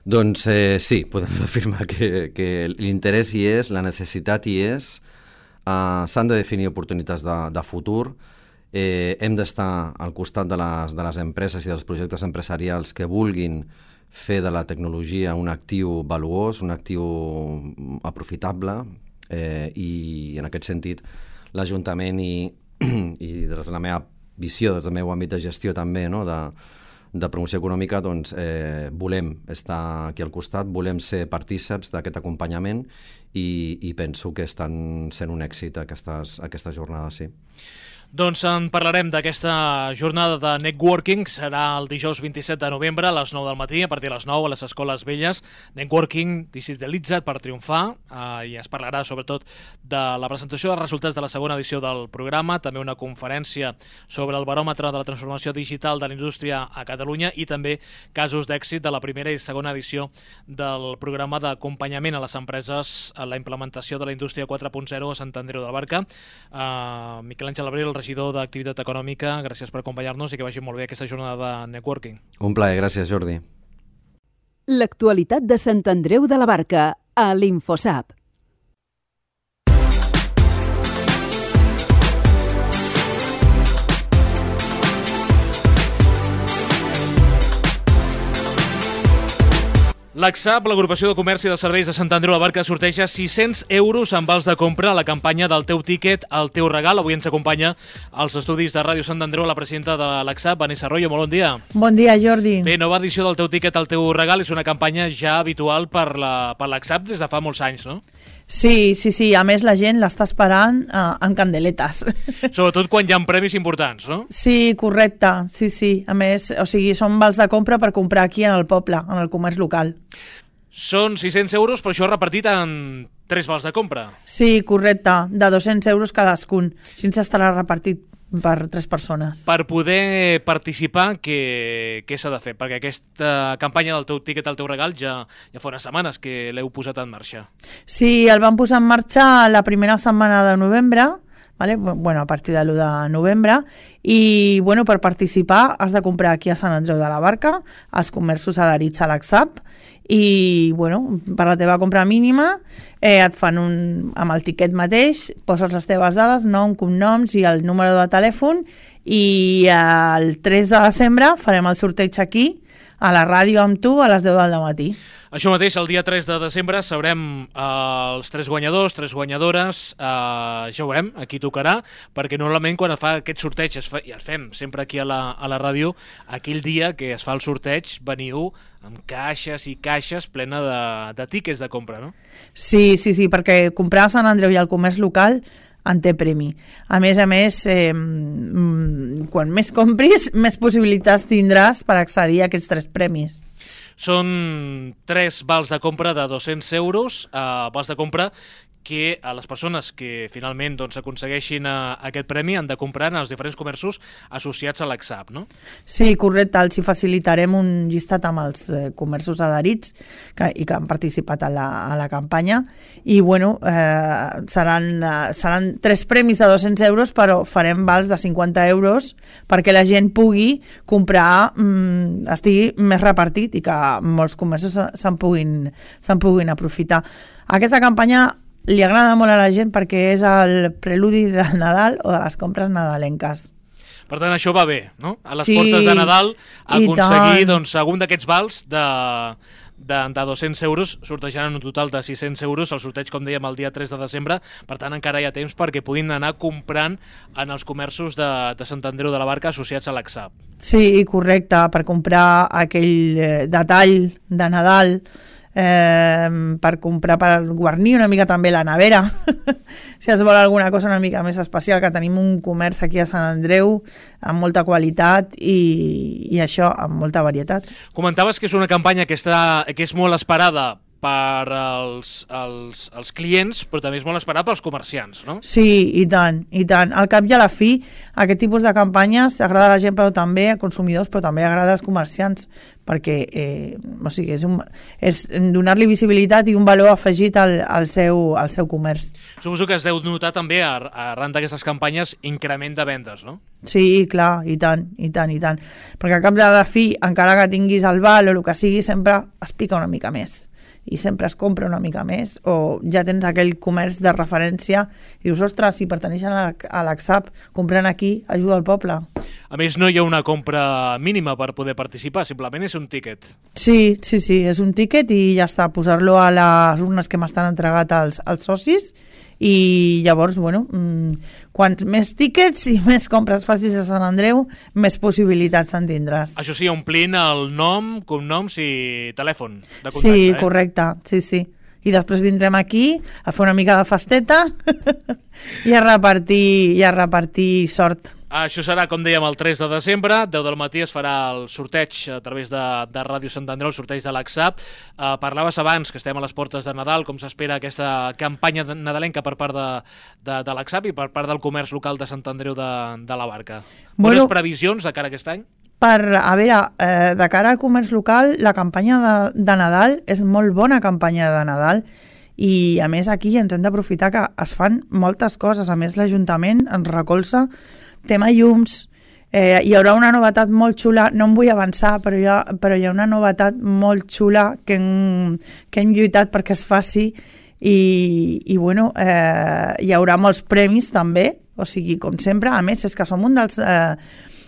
Doncs eh, sí, podem afirmar que, que l'interès hi és, la necessitat hi és, eh, s'han de definir oportunitats de, de futur, eh, hem d'estar al costat de les, de les empreses i dels projectes empresarials que vulguin fer de la tecnologia un actiu valuós, un actiu aprofitable, eh, i en aquest sentit l'Ajuntament i, i des de la meva visió, des del meu àmbit de gestió també, no?, de de promoció econòmica, doncs eh, volem estar aquí al costat, volem ser partíceps d'aquest acompanyament i, i penso que estan sent un èxit aquestes, aquestes jornades, sí. Doncs en parlarem d'aquesta jornada de networking, serà el dijous vint-i-set de novembre a les nou del matí, a partir de les nou a les Escoles Velles. Networking digitalitza't per triomfar, eh, i es parlarà sobretot de la presentació dels resultats de la segona edició del programa, també una conferència sobre el baròmetre de la transformació digital de la indústria a Catalunya i també casos d'èxit de la primera i segona edició del programa d'acompanyament a les empreses a la implementació de la indústria quatre punt zero a Sant Andreu de la Barca. Uh, Miquel Àngel Abril, el regidor d'Activitat Econòmica, gràcies per acompanyar-nos i que vagi molt bé aquesta jornada de networking. Un plaer, gràcies, Jordi. L'actualitat de Sant Andreu de la Barca a l'InfoSap. L'Axap, l'Agrupació de Comerç i de Serveis de Sant Andreu de la Barca, sorteja sis-cents euros en vals de compra a la campanya del teu tíquet, el teu regal. Avui ens acompanya als estudis de Ràdio Sant Andreu la presidenta de l'Axap, Vanessa Arroyo. Molt bon dia. Bon dia, Jordi. Bé, nova edició del teu tíquet, el teu regal, és una campanya ja habitual per la, per l'Axap des de fa molts anys, no? Sí, sí, sí. A més, la gent l'està esperant eh, amb candeletes. Sobretot quan hi ha premis importants, no? Sí, correcte. Sí, sí. A més, o sigui, són vals de compra per comprar aquí en el poble, en el comerç local. Són sis-cents euros, però això repartit en tres vals de compra. Sí, correcte. De dos-cents euros cadascun. Així estarà repartit per tres persones. Per poder participar, què, què s'ha de fer? Perquè aquesta campanya del teu tíquet al teu regal ja, ja fa unes setmanes que l'heu posat en marxa. Sí, el vam posar en marxa la primera setmana de novembre, vale? Bueno, a partir de l'u de novembre, i bueno, per participar has de comprar aquí a Sant Andreu de la Barca, als comerços adherits a l'Axap, i bueno, per la teva compra mínima eh, et fan un, amb el tiquet mateix, poses les teves dades, nom, cognoms i el número de telèfon, i el tres de desembre farem el sorteig aquí a la ràdio amb tu a les deu del matí. Això mateix, el dia tres de desembre sabrem eh, els tres guanyadors, tres guanyadores, eh, ja ho veurem, aquí tocarà, perquè normalment quan es fa aquest sorteig, es fa, i el fem sempre aquí a la, a la ràdio, aquell dia que es fa el sorteig veniu amb caixes i caixes plena de, de tíquets de compra, no? Sí, sí, sí, perquè comprar a Sant Andreu i al comerç local en té premi. A més a més, eh, quan més compris, més possibilitats tindràs per accedir a aquests tres premis. Són tres vals de compra de dos-cents euros, eh, vals de compra que a les persones que finalment doncs, aconsegueixin uh, aquest premi han de comprar en els diferents comerços associats a l'Axap, no? Sí, correcte. Els hi facilitarem un llistat amb els eh, comerços adherits que, i que han participat a la, a la campanya i bueno, eh, seran, eh, seran tres premis de dos-cents euros, però farem vals de cinquanta euros perquè la gent pugui comprar, mm, estigui més repartit i que molts comerços se'n puguin, se'n puguin aprofitar. Aquesta campanya li agrada molt a la gent perquè és el preludi del Nadal o de les compres nadalenques. Per tant, això va bé, no? A les sí, portes de Nadal aconseguir doncs, algun d'aquests vals de, de, de dos-cents euros, sortejaran un total de sis-cents euros, el sorteig, com dèiem, el dia tres de desembre, per tant encara hi ha temps perquè puguin anar comprant en els comerços de, de Sant Andreu de la Barca associats a l'Axap. Sí, correcte, per comprar aquell eh, detall de Nadal, Eh, per comprar, per guarnir una mica també la nevera si es vol alguna cosa una mica més especial, que tenim un comerç aquí a Sant Andreu amb molta qualitat i, i això, amb molta varietat. Comentaves que és una campanya que, està, que és molt esperada per als, els, els clients, però també és molt esperat pels comerciants, no? Sí, i tant, i tant. Al cap i a la fi, aquest tipus de campanyes agrada a la gent, però també a consumidors, però també agrada als comerciants, perquè eh, o sigui, és, un, és donar-li visibilitat i un valor afegit al, al, seu, al seu comerç. Suposo que es deu notar també, arran d'aquestes campanyes, increment de vendes, no? Sí, clar, i tant, i tant, i tant. Perquè al cap de la fi, encara que tinguis el val o el que sigui, sempre es pica una mica més. I sempre es compra una mica més, o ja tens aquell comerç de referència i dius, ostres, si pertaneixen a l'Axap, comprant aquí, ajuda al poble. A més, no hi ha una compra mínima per poder participar, simplement és un tíquet. Sí, sí, sí, és un tíquet i ja està, posar-lo a les urnes que m'estan entregat als, als socis i llavors, bueno, quants més tíquets i més compres facis a Sant Andreu, més possibilitats en tindràs. Això sí, omplint el nom, cognoms i telèfon de contacte. Sí, eh? correcte, sí, sí. I després vindrem aquí a fer una mica de festeta i a repartir, i a repartir sort. Això serà, com dèiem, el tres de desembre, deu del matí es farà el sorteig a través de, de Ràdio Sant Andreu, el sorteig de l'Axap. Uh, parlaves abans que estem a les portes de Nadal, com s'espera aquesta campanya nadalenca per part de, de, de l'Axap i per part del comerç local de Sant Andreu de, de la Barca. Bueno, Bones previsions de cara a aquest any? Per, a veure, eh, de cara al comerç local, la campanya de, de Nadal és molt bona campanya de Nadal i a més aquí ens hem d'aprofitar que es fan moltes coses. A més, l'Ajuntament ens recolza tema llums, eh, hi haurà una novetat molt xula, no em vull avançar, però hi ha, però hi ha una novetat molt xula que hem, que hem lluitat perquè es faci i, i bueno, eh, hi haurà molts premis també, o sigui, com sempre, a més és que som un dels, eh,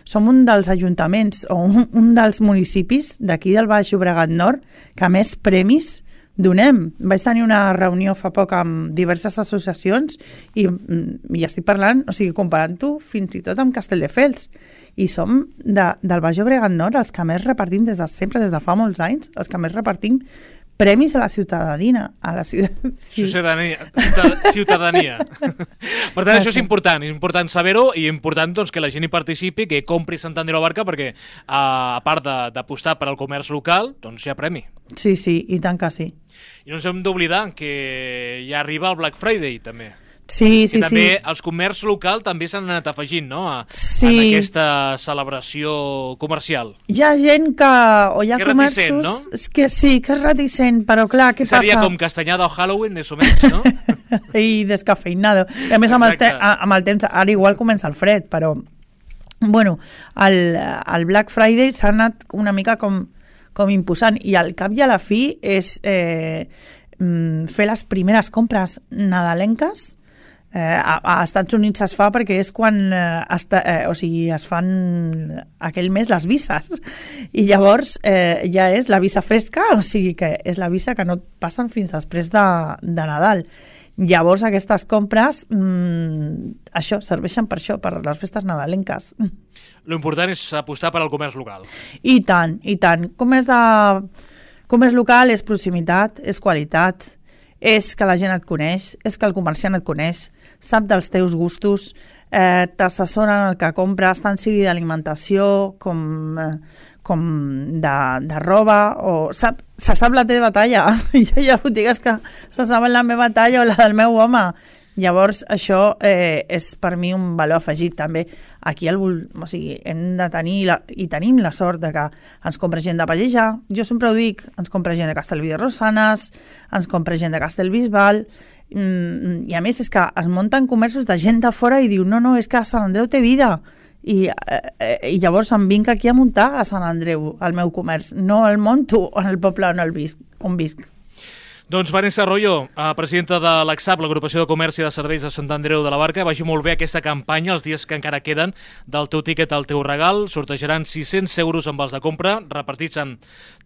som un dels ajuntaments o un, un dels municipis d'aquí del Baix Llobregat Nord que més premis donem. Vaig tenir una reunió fa poc amb diverses associacions i, i estic parlant, o sigui, comparant-ho fins i tot amb Castelldefels. I som de, del Baix Llobregat Nord els que més repartim des de sempre, des de fa molts anys, els que més repartim premis a la ciutadania. A la ciutat... sí. Ciutadania. Ciutadania. Per tant, això és important, és important saber-ho i important doncs, que la gent hi participi, que compri Sant Andreu de la Barca, perquè a part d'apostar per al comerç local, doncs hi ha premi. Sí, sí, i tant que sí. I no ens hem d'oblidar que ja arriba el Black Friday, també. Sí, sí, I també sí. els comerç local també s'han anat afegint, no?, a, sí. en aquesta celebració comercial. Hi ha gent que... o hi ha que comerços... reticent, no? És que sí, que és reticent, però clar, què Seria passa? Seria com Castanyada o Halloween, més o menys, no? I descafeinado. I a més, amb el, te amb el temps, ara igual comença el fred, però... Bueno, el, el Black Friday s'ha anat una mica com, com imposant, i al cap i a la fi és eh, fer les primeres compres nadalenques. Eh, a, a Estats Units es fa perquè és quan eh, esta, eh, o sigui, es fan aquell mes les vises i llavors eh, ja és la visa fresca, o sigui que és la visa que no et passen fins després de, de Nadal. Llavors aquestes compres mmm, això, serveixen per això, per les festes nadalenques. L'important és apostar per al comerç local. I tant, i tant. Comerç, de, comerç local és proximitat, és qualitat, és que la gent et coneix, és que el comerciant et coneix, sap dels teus gustos, eh, t'assessoren el que compres, tant sigui d'alimentació com, eh, com de, de roba, o sap, se sap la teva talla. Jo hi ha botigues que se saben la meva talla o la del meu home. Llavors, això eh, és per mi un valor afegit també. Aquí el, o sigui, hem de tenir, la, i tenim la sort de que ens compra gent de Pallejà, jo sempre ho dic, ens compra gent de Castellví de Rosanes, ens compra gent de Castellbisbal, mm, i a més és que es munten comerços de gent de fora i diu, no, no, és que Sant Andreu té vida. I, eh, i llavors em vinc aquí a muntar a Sant Andreu, el meu comerç, no el monto en el poble on, el visc, on visc. Doncs Vanessa Arroyo, presidenta de l'ACSAP, l'Agrupació de Comerç i de Serveis de Sant Andreu de la Barca, vagi molt bé aquesta campanya, els dies que encara queden del teu tiquet al teu regal. Sortejaran sis-cents euros en vals de compra, repartits en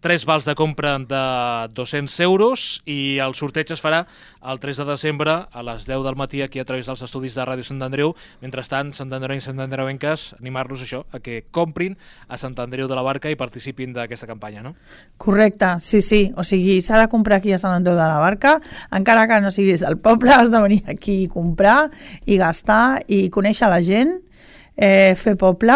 tres vals de compra de dos-cents euros, i el sorteig es farà el tres de desembre a les deu del matí aquí a través dels estudis de Ràdio Sant Andreu. Mentrestant, Sant Andreu i Sant Andreuenques, animar-los això, a que comprin a Sant Andreu de la Barca i participin d'aquesta campanya, no? Correcte, sí, sí. O sigui, s'ha de comprar aquí a Sant Andreu de la Barca, encara que no siguis del poble, has de venir aquí a comprar i gastar i conèixer la gent, eh, fer poble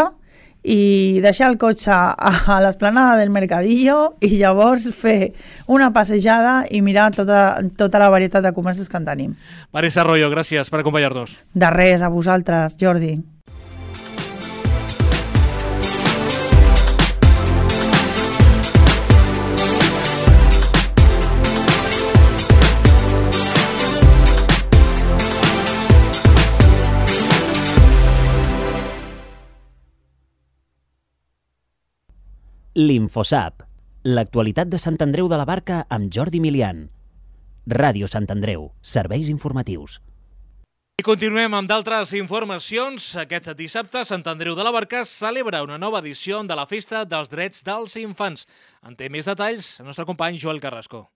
i deixar el cotxe a l'esplanada del Mercadillo i llavors fer una passejada i mirar tota, tota la varietat de comerços que en tenim. Vanessa Arroyo, gràcies per acompanyar-nos. De res, a vosaltres, Jordi. L'Infosap, l'actualitat de Sant Andreu de la Barca amb Jordi Milian. Ràdio Sant Andreu, serveis informatius. I continuem amb d'altres informacions. Aquest dissabte, Sant Andreu de la Barca celebra una nova edició de la Festa dels Drets dels Infants. En té més detalls el nostre company Joel Carrasco.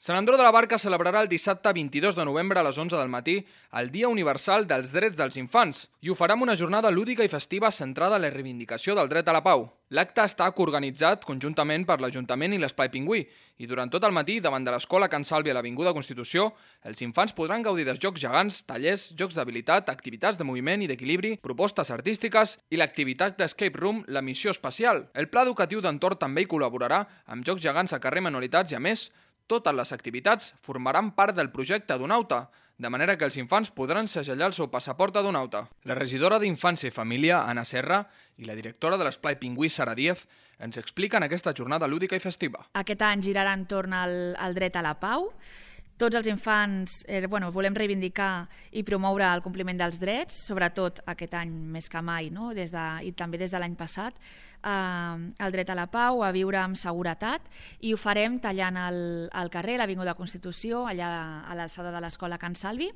Sant Andreu de la Barca celebrarà el dissabte vint-i-dos de novembre a les onze del matí el Dia Universal dels Drets dels Infants i ho farà amb una jornada lúdica i festiva centrada en la reivindicació del dret a la pau. L'acte està coorganitzat conjuntament per l'Ajuntament i l'Esplai Pingüí i durant tot el matí, davant de l'Escola Can Sàlvia a l'Avinguda Constitució, els infants podran gaudir dels jocs gegants, tallers, jocs d'habilitat, activitats de moviment i d'equilibri, propostes artístiques i l'activitat d'Escape Room, la missió espacial. El Pla Educatiu d'Entorn també hi col·laborarà amb jocs gegants a carrer Manualitats i, a més, totes les activitats formaran part del projecte Donauta, de manera que els infants podran segellar el seu passaport de Donauta. La regidora d'Infància i Família, Anna Serra, i la directora de l'Esplai Pingüí, Sara Díez, ens expliquen aquesta jornada lúdica i festiva. Aquest any girarà entorn al, al dret a la pau. Tots els infants eh, bueno, volem reivindicar i promoure el compliment dels drets, sobretot aquest any més que mai, no? des de, i també des de l'any passat, el dret a la pau, a viure amb seguretat, i ho farem tallant el, el carrer, l'Avinguda Constitució, allà a l'alçada de l'Escola Can Salvi,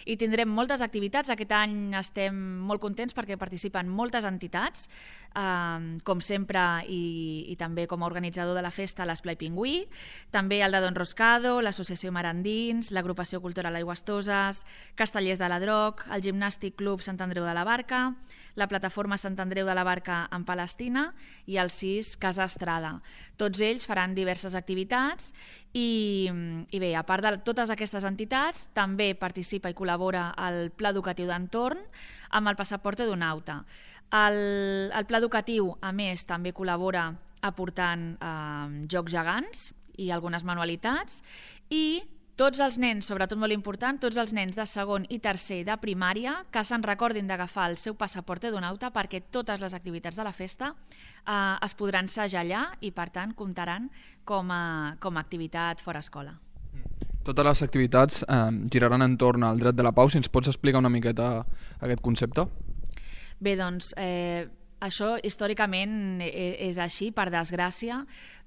i tindrem moltes activitats. Aquest any estem molt contents perquè participen moltes entitats, eh, com sempre, i, i també com a organitzador de la festa l'Esplai Pingüí, també el de Don Roscado, l'Associació Marandins, l'Agrupació Cultural Aigüestoses, Castellers de la Droc, el Gimnàstic Club Sant Andreu de la Barca, la Plataforma Sant Andreu de la Barca en Palestina i el C I S Casa Estrada. Tots ells faran diverses activitats i, i bé, a part de totes aquestes entitats, també participa i col·labora el Pla Educatiu d'Entorn amb el Passaporte d'un Auta. El, el Pla Educatiu, a més, també col·labora aportant eh, jocs gegants i algunes manualitats, i tots els nens, sobretot molt important, tots els nens de segon i tercer de primària que se'n recordin d'agafar el seu passaporte d'un auta, perquè totes les activitats de la festa eh, es podran assajar allà i, per tant, comptaran com a, com a activitat fora escola. Totes les activitats eh, giraran entorn al dret de la pau. Si ens pots explicar una miqueta aquest concepte? Bé, doncs, eh, això històricament és així, per desgràcia,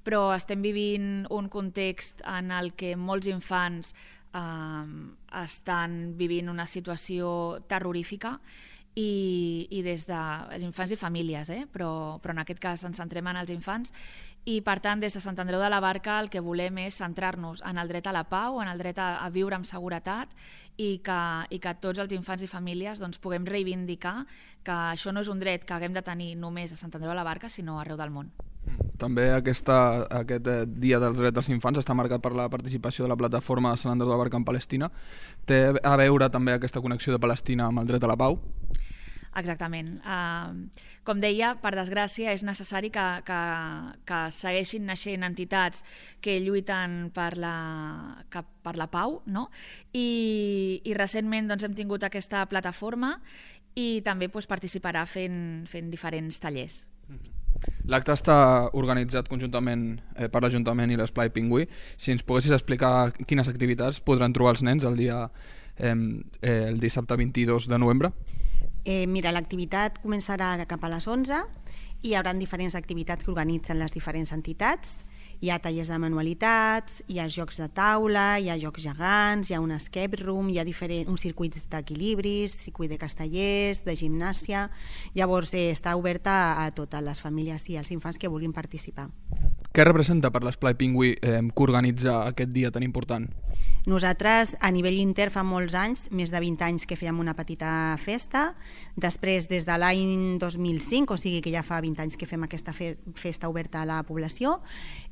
però estem vivint un context en el que molts infants eh, estan vivint una situació terrorífica, i, i des de els infants i famílies, eh? però, però en aquest cas ens centrem en els infants, i per tant des de Sant Andreu de la Barca el que volem és centrar-nos en el dret a la pau, en el dret a, a viure amb seguretat, i que, i que tots els infants i famílies doncs, puguem reivindicar que això no és un dret que haguem de tenir només a Sant Andreu de la Barca, sinó arreu del món. També aquesta, aquest Dia dels Drets dels Infants està marcat per la participació de la plataforma Sant Andreu de la Barca en Palestina. Té a veure també aquesta connexió de Palestina amb el dret a la pau? Exactament. Uh, com deia, per desgràcia és necessari que, que, que segueixin naixent entitats que lluiten per la, que, per la pau, no? I, i recentment doncs, hem tingut aquesta plataforma i també doncs, participarà fent, fent diferents tallers. L'acte està organitzat conjuntament eh, per l'Ajuntament i l'Esplai Pingüí. Si ens poguessis explicar quines activitats podran trobar els nens el dia eh, eh, el dissabte vint-i-dos de novembre? Eh, mira, l'activitat començarà cap a les onze i hi haurà diferents activitats que organitzen les diferents entitats. Hi ha tallers de manualitats, hi ha jocs de taula, hi ha jocs gegants, hi ha un escape room, hi ha diferents, uns circuits d'equilibris, circuit de castellers, de gimnàsia. Llavors eh, està oberta a totes les famílies i als infants que vulguin participar. Què representa per l'Esplai Pingüí eh, que organitza aquest dia tan important? Nosaltres, a nivell inter, fa molts anys, més de vint anys que fèiem una petita festa. Després, des de l'any dos mil cinc, o sigui que ja fa vint anys que fem aquesta fe festa oberta a la població,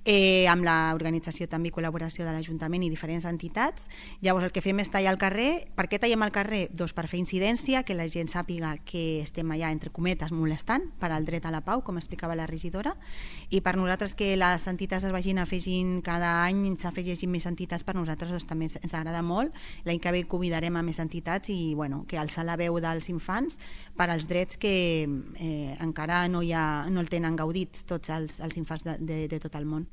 eh, amb l'organització també i col·laboració de l'Ajuntament i diferents entitats. Llavors el que fem és tallar al carrer. Per què tallem al carrer? Doncs per fer incidència, que la gent sàpiga que estem allà, entre cometes, molestant per al dret a la pau, com explicava la regidora, i per nosaltres que les entitats es vagin afegint cada any, s'afegeixin més entitats, per nosaltres doncs, també ens agrada molt. L'any que ve convidarem a més entitats i bueno, que alçar la veu dels infants per als drets que eh, encara no, hi ha, no el tenen gaudits tots els, els infants de, de, de tot el món.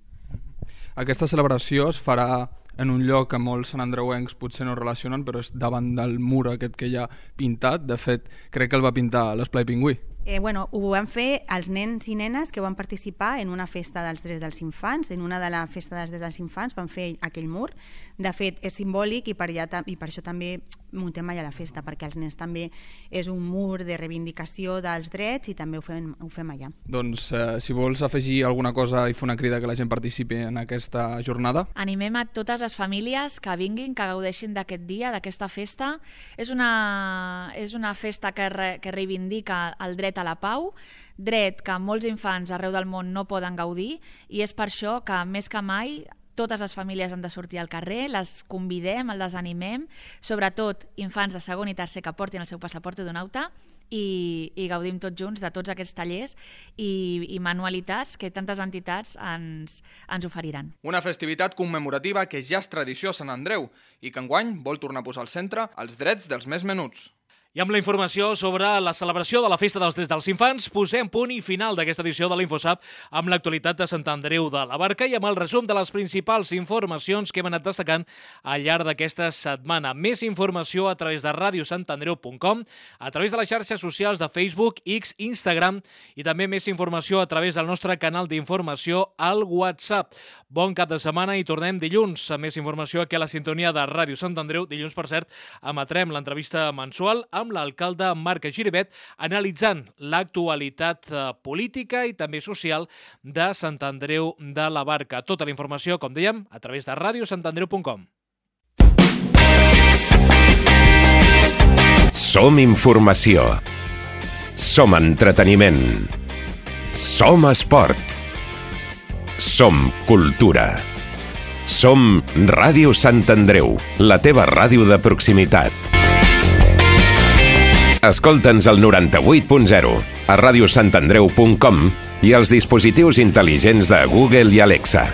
Aquesta celebració es farà en un lloc que molts santandreuencs potser no relacionen, però és davant del mur aquest que hi ha pintat. De fet, crec que el va pintar l'Esplai Pingüí. Eh, bueno, ho van fer els nens i nenes que van participar en una festa dels drets dels infants. En una de la festa dels drets dels infants van fer aquell mur. De fet, és simbòlic i per, allà, i per això també muntem allà la festa, perquè els nens també és un mur de reivindicació dels drets i també ho fem, ho fem allà. Doncs eh, si vols afegir alguna cosa i fer una crida que la gent participi en aquesta jornada. Animem a totes les famílies que vinguin, que gaudeixin d'aquest dia, d'aquesta festa. És una, és una festa que, re, que reivindica el dret a la pau, dret que molts infants arreu del món no poden gaudir, i és per això que més que mai totes les famílies han de sortir al carrer, les convidem, les animem, sobretot infants de segon i tercer que portin el seu passaport d'un auta, i, i gaudim tots junts de tots aquests tallers i, i manualitats que tantes entitats ens, ens oferiran. Una festivitat commemorativa que ja és tradició a Sant Andreu i que enguany vol tornar a posar al centre els drets dels més menuts. I amb la informació sobre la celebració de la Festa dels Drets dels Infants, posem punt i final d'aquesta edició de l'InfoSap amb l'actualitat de Sant Andreu de la Barca i amb el resum de les principals informacions que hem anat destacant al llarg d'aquesta setmana. Més informació a través de radio sant andreu punt com, a través de les xarxes socials de Facebook, X, Instagram i també més informació a través del nostre canal d'informació al WhatsApp. Bon cap de setmana i tornem dilluns. A més informació aquí a la sintonia de Ràdio Sant Andreu. Dilluns, per cert, emetrem l'entrevista mensual amb amb l'alcalde Marc Giribet, analitzant l'actualitat política i també social de Sant Andreu de la Barca. Tota la informació, com dèiem, a través de radio sant andreu punt com. Som informació. Som entreteniment. Som esport. Som cultura. Som Ràdio Sant Andreu, la teva ràdio de proximitat. Escolta'ns al noranta-vuit punt zero, a radio sant andreu punt com i als dispositius intel·ligents de Google i Alexa.